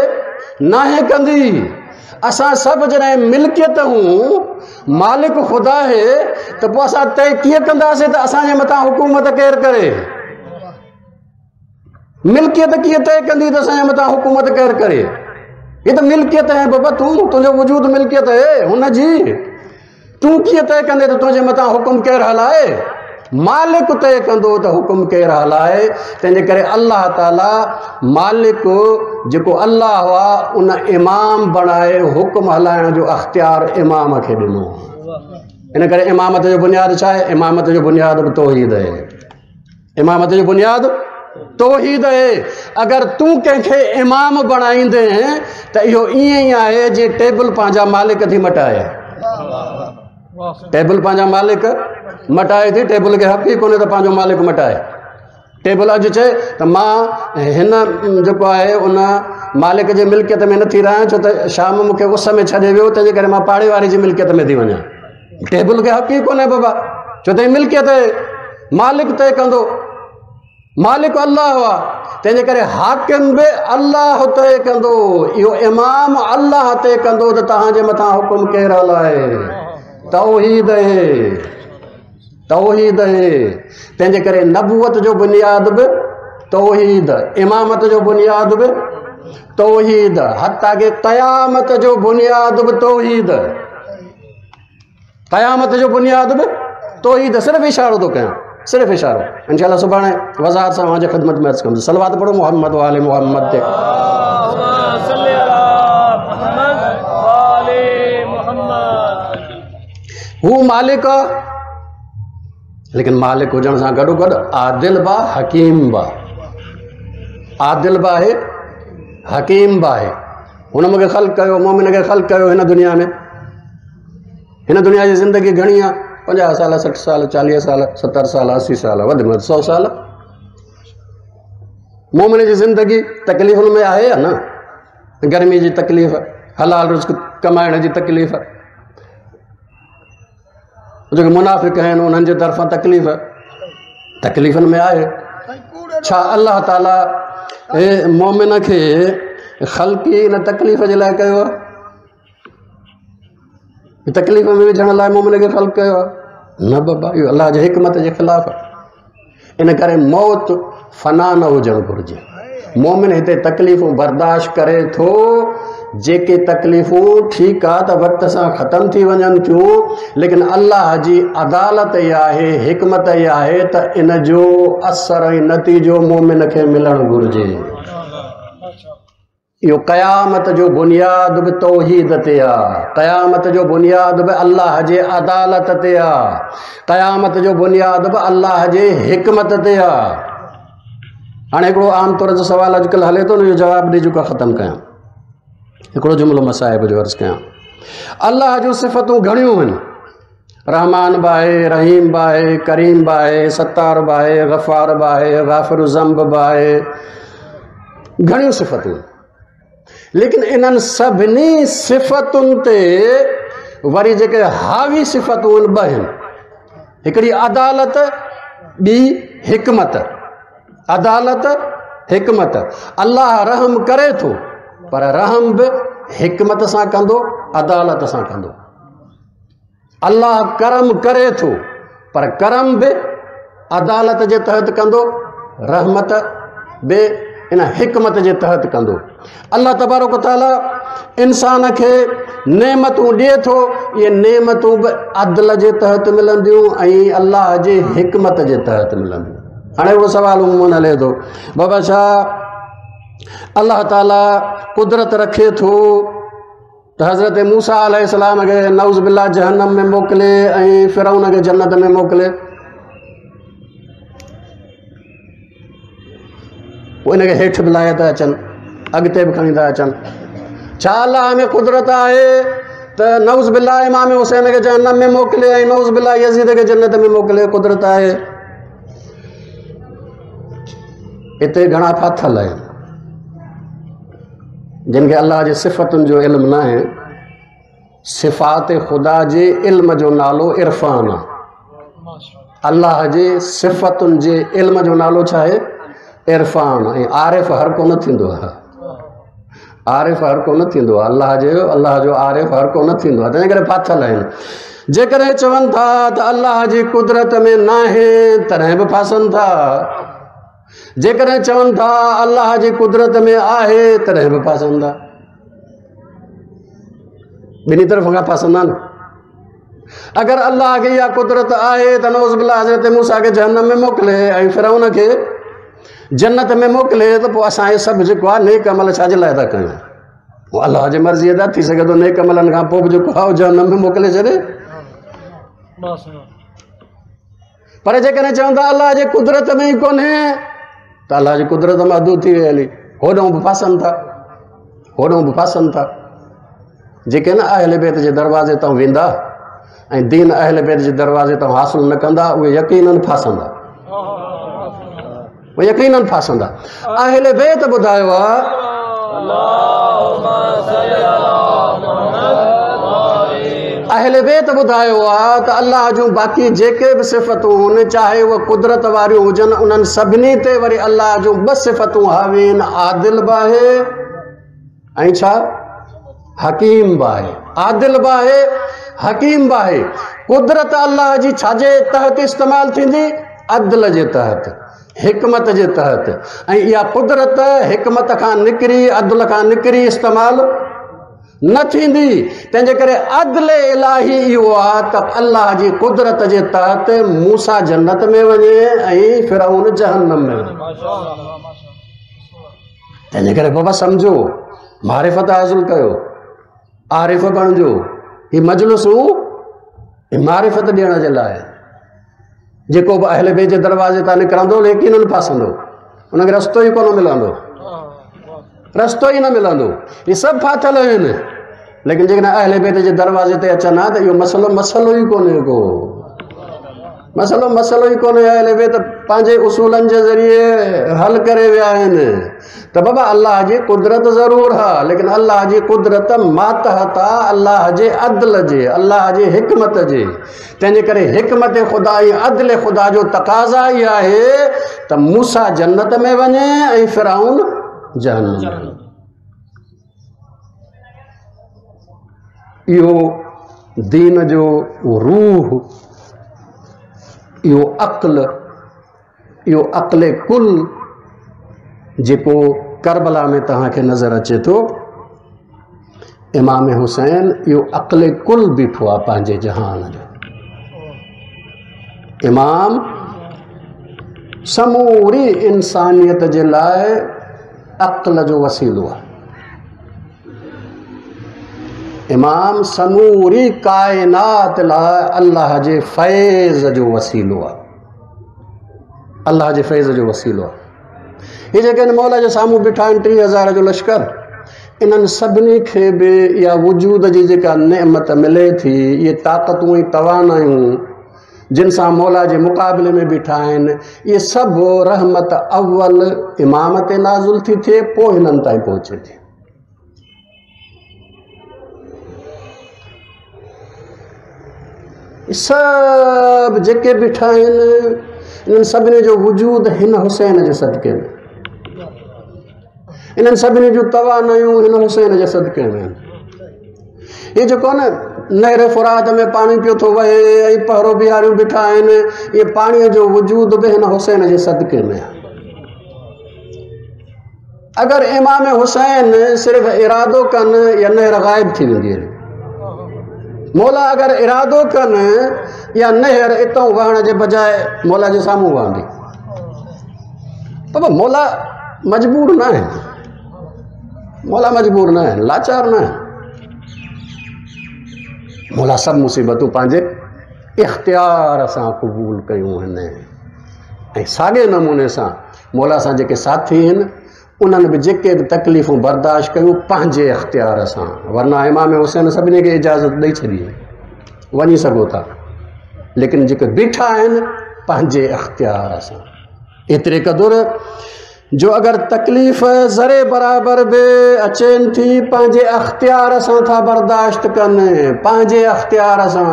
नाहे कंदी। असां सभु जॾहिं मिल्कियत हूँ, मालिक ख़ुदा आहे, त पोइ असां तय कीअं कंदासीं त असांजे मथां हुकूमत केरु करे? मिल्कियत कीअं तय कंदी त असांजे मथां हुकूमत केरु करे? हीअ त मिल्कियत आहे बाबा, तूं तुंहिंजो वजूद मिल्कियत आहे हुनजी, तूं कीअं तय कंदे त तुंहिंजे मथां हुकुम केरु हलाए? मालिक तय कंदो त हुकुम केरु हलाए। तंहिंजे करे अल्लाह ताला मालिक जेको अल्लाह आहे उन इमाम बणाए हुकुम हलाइण जो अख़्तियार इमाम खे ॾिनो। इन करे इमामत जो बुनियाद छा आहे? इमामत जो बुनियाद बि तौहीद आहे। इमामत जो बुनियाद तौहीद आहे। अगरि तूं कंहिंखे इमाम बणाईंदे त इहो ईअं ई आहे जीअं टेबल पंहिंजा मालिक थी मटाए। टेबल पंहिंजा मालिक मटाए थी, टेबल खे हक़ ई कोन्हे त पंहिंजो मालिक मटाए। टेबल अॼु चए त मां हिन जेको आहे उन मालिक जे मिल्कियत में नथी रहां, छो त शाम मूंखे उस में छॾे वियो, तंहिंजे करे मां पाड़े वारे जी मिल्कियत में थी वञा। टेबल खे हक़ ई कोन्हे बाबा, छो त मिल्कियत आहे, मालिक तय कंदो, मालिक अल्लाह आहे। तंहिंजे करे हाकिम बि अल्लाह तय कंदो, इहो इमाम अल्लाह तय कंदो त तव्हांजे मथां हुकुम केरु हलाए। तौहीद आहे, तौहीद आहे। तंहिंजे करे नबूअत जो बुनियाद बि तौहीद, इमामत जो बुनियाद बि तौहीद, हत्ता के क़यामत जो बुनियाद बि तौहीद। क़यामत जो बुनियाद बि तौहीद। सिर्फ़ इशारो थो कयां, सिर्फ़ इशारो। इंशाअल्लाह सुभाणे वज़ाहत सां तव्हांजी ख़िदमत में अर्ज़ु कंदुसि। सलवात पढ़ो मोहम्मद वाले मोहम्मद ते। हू मालिक आहे, लेकिन मालिक हुजण सां गॾो गॾु आदिल बि आहे, हकीम बि आहे। आदिल बि आहे, हकीम बि आहे। हुन मूंखे ख़ल्क कयो, मोमिन खे ख़ल्क कयो हिन दुनिया में। हिन दुनिया जी ज़िंदगी घणी आहे, पंजाह साल, सठि साल, चालीह साल, सतरि साल, असी साल, वधि में वधि सौ साल। मोमिन जी ज़िंदगी तकलीफ़ुनि में आहे या न? गर्मी जी तकलीफ़, हलाल रिज़्क कमाइण जी तकलीफ़, जेके मुनाफ़िक आहिनि उन्हनि जे तरफ़ां तकलीफ़, तकलीफ़ुनि में आहे। छा अलाह ताला मोमिन खे ख़ल्क़ी इन तकलीफ़ जे लाइ कयो आहे? तकलीफ़ में विझण लाइ मोमिन खे ख़ल्क़ कयो आहे? न बाबा, इहो अलाह जे हिकमत जे ख़िलाफ़ आहे। इन करे मौत फना न हुजणु घुरिजे। मोमिन हिते तकलीफ़ूं बर्दाश्त करे थो, जेके तकलीफ़ूं ठीकु आहे त वक़्त सां ख़तमु थी वञनि थियूं, लेकिन अलाह जी अदालत इहा आहे, हिकमत इहा आहे त इन जो असर ऐं नतीजो मोमिन खे मिलणु घुरिजे। इहो क़यामत जो बुनियाद बि तौहीद ते आहे, क़यामत जो बुनियाद बि अलाह जे अदालत ते आहे, क़यामत जो बुनियाद बि अलाह जे हिकमत ते आहे। हाणे हिकिड़ो आम तौर जो सवालु अॼुकल्ह हले थो, हुनजो जवाबु ॾेई चुको ख़तमु कयां। हिकिड़ो जुमिलो मसाइब जो अर्ज़ु कयां। अलाह जूं सिफ़तूं घणियूं आहिनि, रहमान बि आहे, रहीम बि आहे, करीम बि आहे, सत्तार बि आहे, गफ़ार बि आहे, गाफ़िर ज़ंब बि आहे, घणियूं सिफ़तूं। लेकिन इन्हनि सभिनी सिफ़तुनि ते वरी जेके हावी सिफ़तूं आहिनि ॿ आहिनि, हिकिड़ी अदालत, ॿी हिकमत। अदालत, हिकमत। अलाह रहम करे थो, पर रहम बि हिकमत सां कंदो, अदालत सां कंदो। अलाह करम करे थो, पर करम बि अदालत जे तहत कंदो, रहमत बि इन हिकमत जे तहत कंदो। अलाह तबारक ताला इंसान खे नेमतूं ॾिए थो, इहे नेमतूं बि अदल जे तहत मिलंदियूं ऐं अलाह जे हिकमत जे तहत मिलंदियूं। हाणे हिकिड़ो सवालु उमूमन हले थो, बाबा छा अलाह ताला कुदरत रखे थो त हज़रत मूसा अलैहिस्सलाम खे नऊज़ बिल्लाह जहन्नम में मोकिले ऐं फिरौन खे जन्नत में मोकिले? पोइ हिनखे हेठि बि लाहे था अचनि, अॻिते बि खणी था अचनि। छा अलाह में कुदरत आहे त नऊज़ बिल्लाह इमाम हुसैन खे जहन्नम में मोकिले ऐं नऊज़ बिल्लाह यज़ीद खे जन्नत में मोकिले? कुदरत आहे? हिते घणा फाथल आहिनि जिन खे अलाह जे सिफ़तुनि जो इल्मु न आहे। सिफ़ात ख़ुदा जे इल्म जो नालो इरफ़ान आहे। अलाह जे सिफ़तुनि जे इल्म जो नालो छा आहे? इरफ़ान। ऐं आरिफ़ हर को न थींदो आहे, आरिफ़ हर को न थींदो आहे। अलाह जे अलाह जो आरिफ़ हर को न थींदो आहे। तंहिं करे फाथल आहिनि। जेकॾहिं चवनि था त अलाह जी कुदरत में न आहे, तॾहिं बि फासनि था। जेकॾहिं चवनि था अलाह जी कुदरत में आहे, तॾहिं बि फासनि था। ॿिन्ही तरफ़ खां फासंदा आहिनि। अगरि अलाह खे इहा कुदरत आहे त नऊज़ बिल्लाह हज़रत मूसा खे जहन्नम में मोकिले ऐं फिरौन खे जन्नत में मोकिले, त पोइ असां इहे सभु जेको आहे नेक अमल छा जे लाइ था कयूं? उहो अलाह जी मर्ज़ीअ ते थी सघे थो नेक अमलनि खां पोइ बि जेको आहे जहन्नम में मोकिले छॾे। पर जेकॾहिं चवनि था अलाह जी कुदरत में ई कोन्हे, त अलाह जी कुदरत महदूद थी वई हली। होॾो बि फासनि था, होॾो बि फासनि था। जेके न अहल बैत जे दरवाज़े तां वेंदा ऐं दीन अहल बैत जे दरवाज़े तां हासिल न कंदा, उहे यकीनन फासंदा, उहे यकीनन फासंदा। अहल बैत ॿुधायो आहे, अहल बैत ॿुधायो आहे त अलाह जूं बाक़ी जेके बि सिफ़तूं आहिनि, चाहे उहे कुदरत वारियूं हुजनि, उन्हनि सभिनी ते वरी अलाह जूं ॿ सिफ़तूं हावी आहिनि, आदिल बि आहे ऐं छा हकीम बि आहे। आदिल बि आहे, हकीम बि आहे। कुदरत अलाह जी छाजे तहत इस्तेमालु थींदी? अदल जे तहत, हिकमत जे तहत। ऐं इहा कुदरत हिकमत खां निकिरी, अदल खां निकिरी इस्तेमालु न थींदी। तंहिंजे करे अदल इलाही इहो आहे त अल्लाह जी कुदरत जे तहत मूसा जन्नत में वञे ऐं फिरौन जहन्नम में वञे। तंहिंजे करे बाबा सम्झो, मारिफ़त हासिल कयो, आरिफ़ बणिजो। ही मजलिसूं मारिफ़त ॾियण जे लाइ। जेको बि अहल बेत जे दरवाज़े तां निकिरंदो यकीनन फासंदो, उनखे रस्तो ई कोन मिलंदो, रस्तो ई न मिलंदो। इहे सभु फाथियल आहिनि, लेकिन जेकॾहिं अहल बेत जे दरवाज़े ते अचनि हा त इहो मसइलो मसइलो ई कोन्हे को, मसइलो मसइलो ई कोन्हे। अहल बेत पंहिंजे उसूलनि जे ज़रिए हल करे विया आहिनि। त बाबा अल्लाह जी कुदरत ज़रूरु आहे, लेकिन अल्लाह जी कुदरत मातहत आहे अल्लाह जे अदल जे, अल्लाह जे हिकमत जे। तंहिंजे करे हिकमत ख़ुदा ऐं अदल ख़ुदा जो तक़ाज़ा ई आहे त मूसा जन्नत में वञे ऐं फिरौन जहन्नम में। इहो दीन जो रूह, इहो अक़्ल, इहो अक़्ल कुल जेको करबला में तव्हांखे नज़र अचे थो। इमाम हुसैन इहो अक़्ल कुल बीठो आहे पंहिंजे जहान जो। इमाम समूरी इंसानियत जे लाइ अक़्ल जो वसीलो आहे। इमाम समूरी काइनात लाइ अल्लाह जे फैज़ जो वसीलो आहे, अल्लाह जे फैज़ जो वसीलो आहे। ही जेके हिन मौला जे साम्हूं बीठा आहिनि टीह हज़ार जो लश्कर, इन्हनि सभिनी खे बि इहा वजूद जी जेका नेमत मिले थी, इहे ताक़तूं ऐं तवानायूं जिन सां मौला जे मुक़ाबले में बीठा आहिनि, इहे सभु रहमत अव्वल इमाम ते नाज़िल थी थिए, पोइ हिननि ताईं पहुचे थी। सभु जेके बीठा आहिनि इन्हनि सभिनी जो वजूद हिन हुसैन जे सदके में, इन्हनि सभिनी जूं तवानायूं हिन हुसैन जे सदके में आहिनि। हीउ जेको आहे न नहर फुरात में पाणी पियो थो वहे ऐं पहरो बिहारियूं बीठा आहिनि, इहे पाणीअ जो वजूद बि हिन हुसैन जे सदके में आहे। अगरि इमाम हुसैन सिर्फ़ु इरादो कनि या नहर ग़ाइब थी वेंदी हली। मौला अगरि इरादो कनि या नहर इतां वहण जे बजाए मौला जे साम्हूं वहंदी। बाबा मौला मजबूर न आहिनि, मौला मजबूर न आहिनि, लाचार न आहिनि। मौला सभु मुसीबतूं पंहिंजे इख़्तियार सां क़बूल कयूं आहिनि ऐं साॻे नमूने सां मौला सां जेके साथी आहिनि उन्हनि बि जेके बि तकलीफ़ूं बर्दाश्त कयूं पंहिंजे इख़्तियार सां, वरना इमाम हुसैन सभिनी खे इजाज़त ॾेई छॾी, वञी सघो था, लेकिन जेके बीठा आहिनि पंहिंजे इख़्तियार सां। एतिरे क़दुरु जो अगरि तकलीफ़ ज़रे बराबरि बि अचनि थी पंहिंजे अख़्तियार सां था बर्दाश्त कनि, पंहिंजे अख़्तियार सां।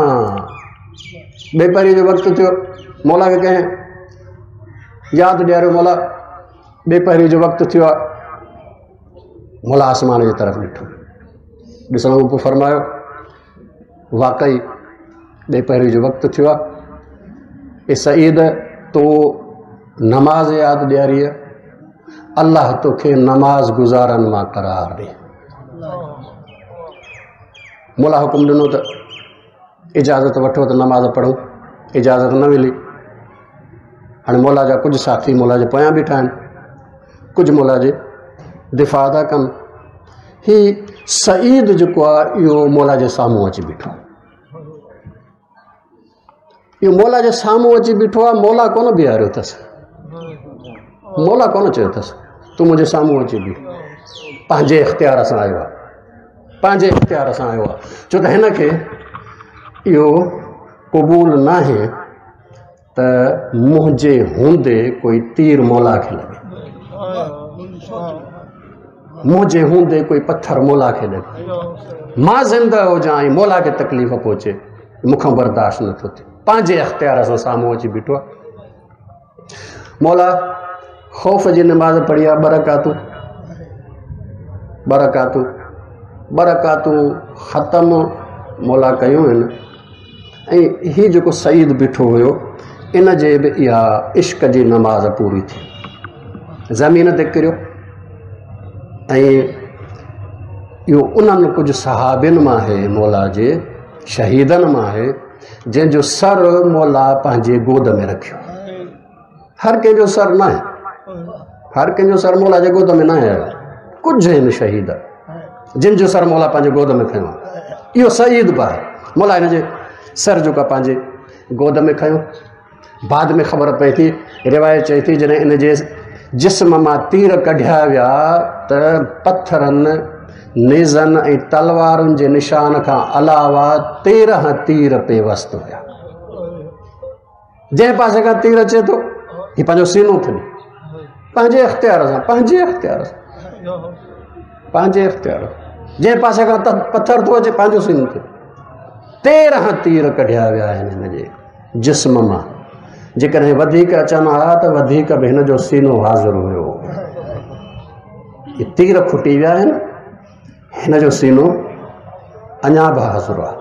ॿेपहरी जो वक़्तु थियो, मौला खे कंहिं यादि ॾियारियो, मौला ॿेपहरी जो वक़्तु थियो आहे। मौला आसमान जे तरफ़ ॾिठो, ॾिसण खां पोइ फरमायो वाकई ॿेपहरी जो वक़्तु थियो आहे। ए सईद, तो नमाज़ यादि ॾियारी आहे, अल्लाह तोखे नमाज़ गुज़ारनि मां करार ॾे। मौला हुकुम ॾिनो त इजाज़त वठो त नमाज़ पढ़ूं, इजाज़त न मिली। हाणे मौला जा कुझु साथी मौला जे पोयां बीठा आहिनि, कुझु मौला जे दिफ़ा था कनि। ही सईद जेको आहे इहो मौला जे साम्हूं अची बीठो, इहो मौला जे साम्हूं अची बीठो आहे। मौला कोन बीहारियो अथसि, मौला कोन चयो अथसि तूं मुंहिंजे साम्हूं अची बीह, पंहिंजे इख़्तियार सां आयो आहे, पंहिंजे इख़्तियार सां आयो आहे। छो त हिन खे इहो क़बूल नाहे त मुंहिंजे हूंदे कोई तीर मौला खे लॻे, मुंहिंजे हूंदे कोई पथर मौला खे लॻे, मां ज़िंदा हुजां ऐं मौला खे तकलीफ़ पहुचे, मूंखां बर्दाश्त नथो थिए। पंहिंजे इख़्तियार सां साम्हूं अची बीठो आहे। मौला ख़ौफ़ जी नमाज़ पढ़ी आहे, ॿ रकातूं, ॿ रकातूं, ॿ रकातूं ख़तमु मौला कयूं आहिनि। ऐं हीउ जेको सईद बीठो हुयो इन जे बि इहा इश्क जी नमाज़ पूरी थी, ज़मीन ते किरियो ऐं इहो उन्हनि कुझु सहाबियुनि मां आहे, मौला जे शहीदनि मां आहे, जंहिंजो सर मौला पंहिंजे गोद में रखियो। हर कंहिंजो सर न आहे, हर कंहिंजो सर मौला जे गोद में न आहे। कुझु आहिनि शहीद जिन जो सर मौला पंहिंजे गोद में खयो। इहो सईद बि आहे, मौला हिन जे सर जेको आहे पंहिंजे गोद में खयो। बाद में ख़बर पए थी, रिवायत चए थी जॾहिं इन जे जिस्म मां तीर कढिया विया त पथरनि, नेज़नि ऐं तलवारुनि जे निशान खां अलावा तेरहं तीर पेवस्त हुया। जंहिं पासे खां तीर अचे थो हीउ पंहिंजो सीनो थो ॾिए, पंहिंजे इख़्तियार सां, पंहिंजे इख़्तियार सां, पंहिंजे इख़्तियार, जंहिं पासे खां पथर थो अचे पंहिंजो सीनो थो। तेरहं तीर कढिया विया आहिनि हिन जे जिस्म मां। जेकॾहिं वधीक अचनि हा त वधीक बि हिन जो सीनो हाज़िर हुयो। तीर खुटी विया आहिनि, हिन जो सीनो अञा बि हाज़िर आहे,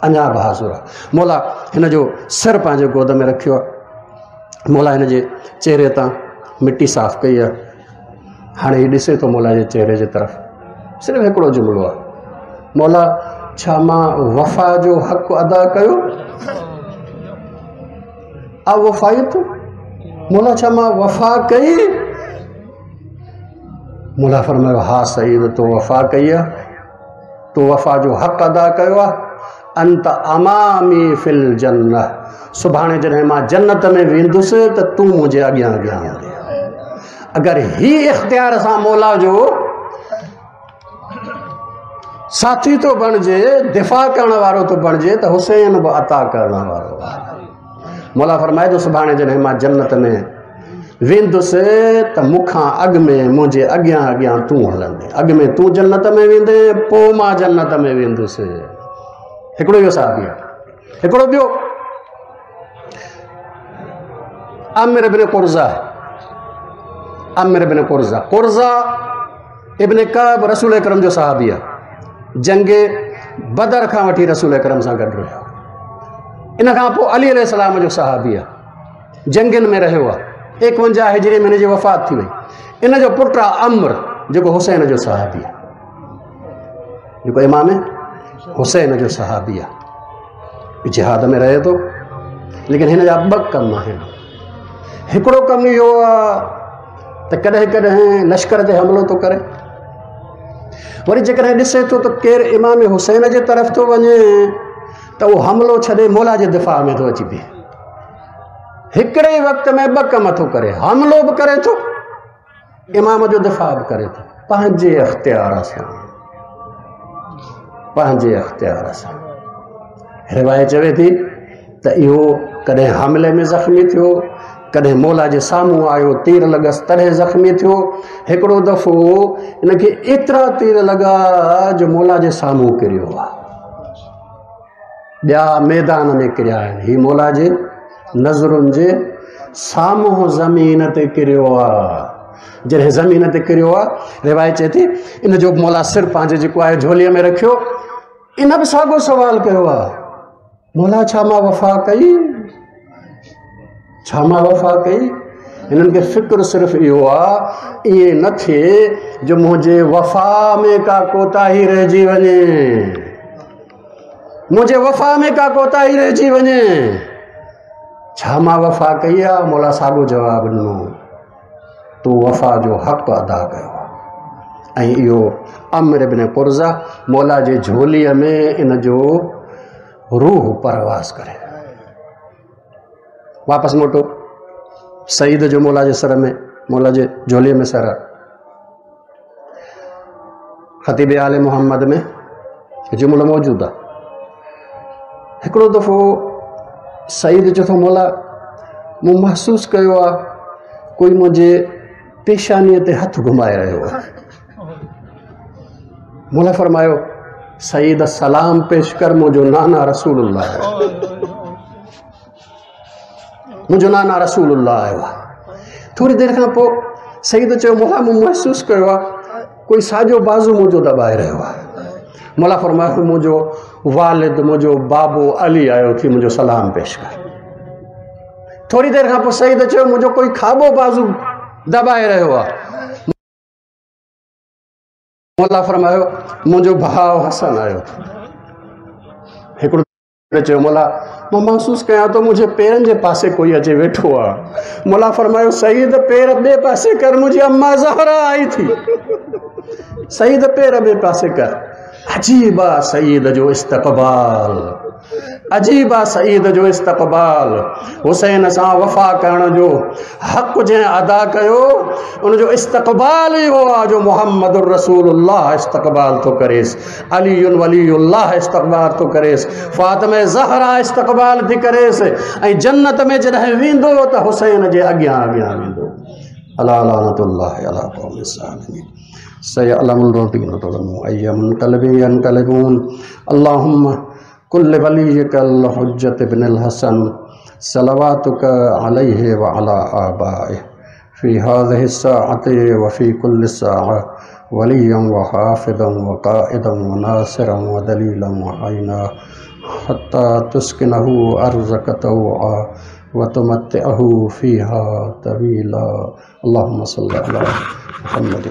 अञा बि हाज़िर आहे। मौला हिन जो सिर पंहिंजे गोद में रखियो आहे। मौला हिन जे चेहरे तां मिटी साफ़ कई आहे। हाणे हीउ ॾिसे थो मौला जे चेहरे जे तरफ़, सिर्फ़ु हिकिड़ो जुमिलो आहे, मौला छा मां वफ़ा जो हक़ अदा कयो? आ वफ़ाइत? मौला छा मां वफ़ा कई? मौला फरमायो हा सईद, तो वफ़ा कई आहे, तो वफ़ा जो हक़ अदा कयो आहे। अंत अमामी फिल जन्नह, सुभाणे जॾहिं मां जन्नत में वेंदुसि त तूं मुंहिंजे अॻियां अॻियां हूंदे। अगरि ही इख़्तियार सां मौला जो साथी थो बणिजे, दिफ़ा करण वारो थो बणिजे, त हुसैन बि अता करण वारो आहे। मौला फरमाए थो सुभाणे जॾहिं मां जन्नत में वेंदुसि त मूंखां अॻु में मुंहिंजे अॻियां अॻियां तूं हलंदे, अॻु में तूं जन्नत में वेंदे, पोइ मां जन्नत में वेंदुसि। हिकिड़ो इहो साहबी आहे। हिकिड़ो ॿियो आमिर इब्न कुर्ज़ा, आमिर इब्न कुर्ज़ा, कुर्ज़ा इब्न काब रसूल अकरम जो सहाबी आहे। जंग बदर खां वठी रसूल अकरम सां गॾु रहियो। इन खां पोइ अली अलैहिस्सलाम जो सहाबी आहे, जंगियुनि में रहियो आहे। एकवंजाह हिजरी में हिन जी वफ़ात थी वई। इन जो पुटु आहे अमर, जेको हुसैन जो सहाबी आहे, जेको इमाम हुसैन जो सहाबी आहे, जिहाद में रहे थो। लेकिन हिन जा ॿ कम आहिनि। हिकिड़ो कमु इहो आहे त कॾहिं कॾहिं लश्कर ते हमिलो थो करे, वरी जेकॾहिं ॾिसे थो त केरु इमाम हुसैन जे तरफ़ थो वञे त उहो हमिलो छॾे मौला जे दिफ़ा में थो अची बीहे। हिकिड़े ई वक़्त में ॿ कम थो करे, हमिलो बि करे थो, इमाम जो दिफ़ा बि करे थो, पंहिंजे इख़्तियार सां, पंहिंजे इख़्तियार सां। रिवायत चवे थी त इहो कॾहिं हमिले में ज़ख़्मी थियो, कॾहिं मौला जे साम्हूं आयो तीर लॻस तॾहिं ज़ख़्मी थियो। हिकिड़ो दफ़ो हिनखे एतिरा तीर लॻा जो मौला जे साम्हूं किरियो आहे, ॿिया मैदान में किरिया आहिनि, हीउ मौला जे नज़रुनि जे साम्हूं ज़मीन ते किरियो आहे। जॾहिं ज़मीन ते किरियो आहे, रिवायत चए थी इन जो मौला सिर पंहिंजे जेको आहे झोलीअ में रखियो। इन बि साॻियो सवालु कयो आहे, मौला छा मां वफ़ा कई? छा मां वफ़ा कई? हिननि खे फ़िक्र सिर्फ़ु इहो आहे ईअं न थिए जो मुंहिंजे वफ़ा में का कोताही रहिजी वञे, मुंहिंजे वफ़ा में का कोताही रहिजी वञे। छा मां वफ़ा कई आहे? मौला साॻियो जवाबु ॾिनो, तूं वफ़ा जो हक़ अदा कयो आहे। ऐं इहो अमर इब्न कुर्ज़ा मौला जे झोलीअ में इन जो रूह परवास करे। वापसि मोटो सईद जो मौला जे सर में, मौला जे झोलीअ में सर। ख़तीब आल मोहम्मद में जुमिलो मौजूदु आहे। हिकिड़ो दफ़ो सईद चए थो मौला मूं महसूसु कयो आहे कोई मुंहिंजे पेशानीअ ते हथु घुमाए रहियो आहे। मौला फरमायो सईद सलाम पेश कर, मुंहिंजो नाना रसूलुल्लाह आयो, मुंहिंजो नाना रसूलुल्लाह आयो आहे। थोरी देरि खां पोइ सईद चयो मौला मूं महसूसु कयो आहे कोई साॼो बाज़ू मुंहिंजो दॿाए रहियो आहे। मौला फरमायो मुंहिंजो वालिद, मुंहिंजो बाबो अली आयो थी, मुंहिंजो सलाम पेश कर। थोरी देरि खां पोइ सईद चयो मुंहिंजो कोई खाॿो बाज़ू दॿाए रहियो आहे। मौला फरमायो मुंहिंजो भाउ हसन आयो। हिकिड़ो चयो मौला मां महसूसु कयां थो मुंहिंजे पेरनि जे पासे कोई अचे वेठो आहे। मौला फरमायो सईद पेर ॿिए पासे कर, मुंहिंजी अम्मा ज़हरा आई थी, सईद पेर ॿिए पासे कर। अजीब आहे सईद जो इस्तक़बाल, अजीब आहे सईद जो इस्तक़बाल। हुसैन सां वफ़ा करण जो हक़ जंहिं अदा कयो उनजो इस्तक़बाल इहो आहे जो मोहम्मद रसूलुल्लाह इस्तक़बाल थो करेसि, अली वलीउल्लाह इस्तक़बाल थो करेसि, फ़ातिमा ज़हरा इस्तक़बाल थी करेसि ऐं जन्नत में जॾहिं वेंदो त हुसैन जे अॻियां अॻियां वेंदो। अला लानतुल्लाहि अला क़ौमिस ज़ालिमीन। सयअलमुल लज़ीना ज़लमू अय्य मुनक़लबिन यनक़लिबून। अल्लाहुम्मा कुल वलियकल हुज्जत इब्नुल हसन सलवातुक अलैहि व अला आबाइहि फ़ी हाज़िहि स्साअति व फ़ी कुल्लि साअ वलिय्यन व हाफ़िज़न व क़ाइदन व नासिरन व दलीलन व ऐना हत्ता तुस्किनहु अर्ज़क तौआ व तुमत्तिअहु फ़ीहा तवीला। अल्लाहुम्मा सल्लि अला मुहम्मद।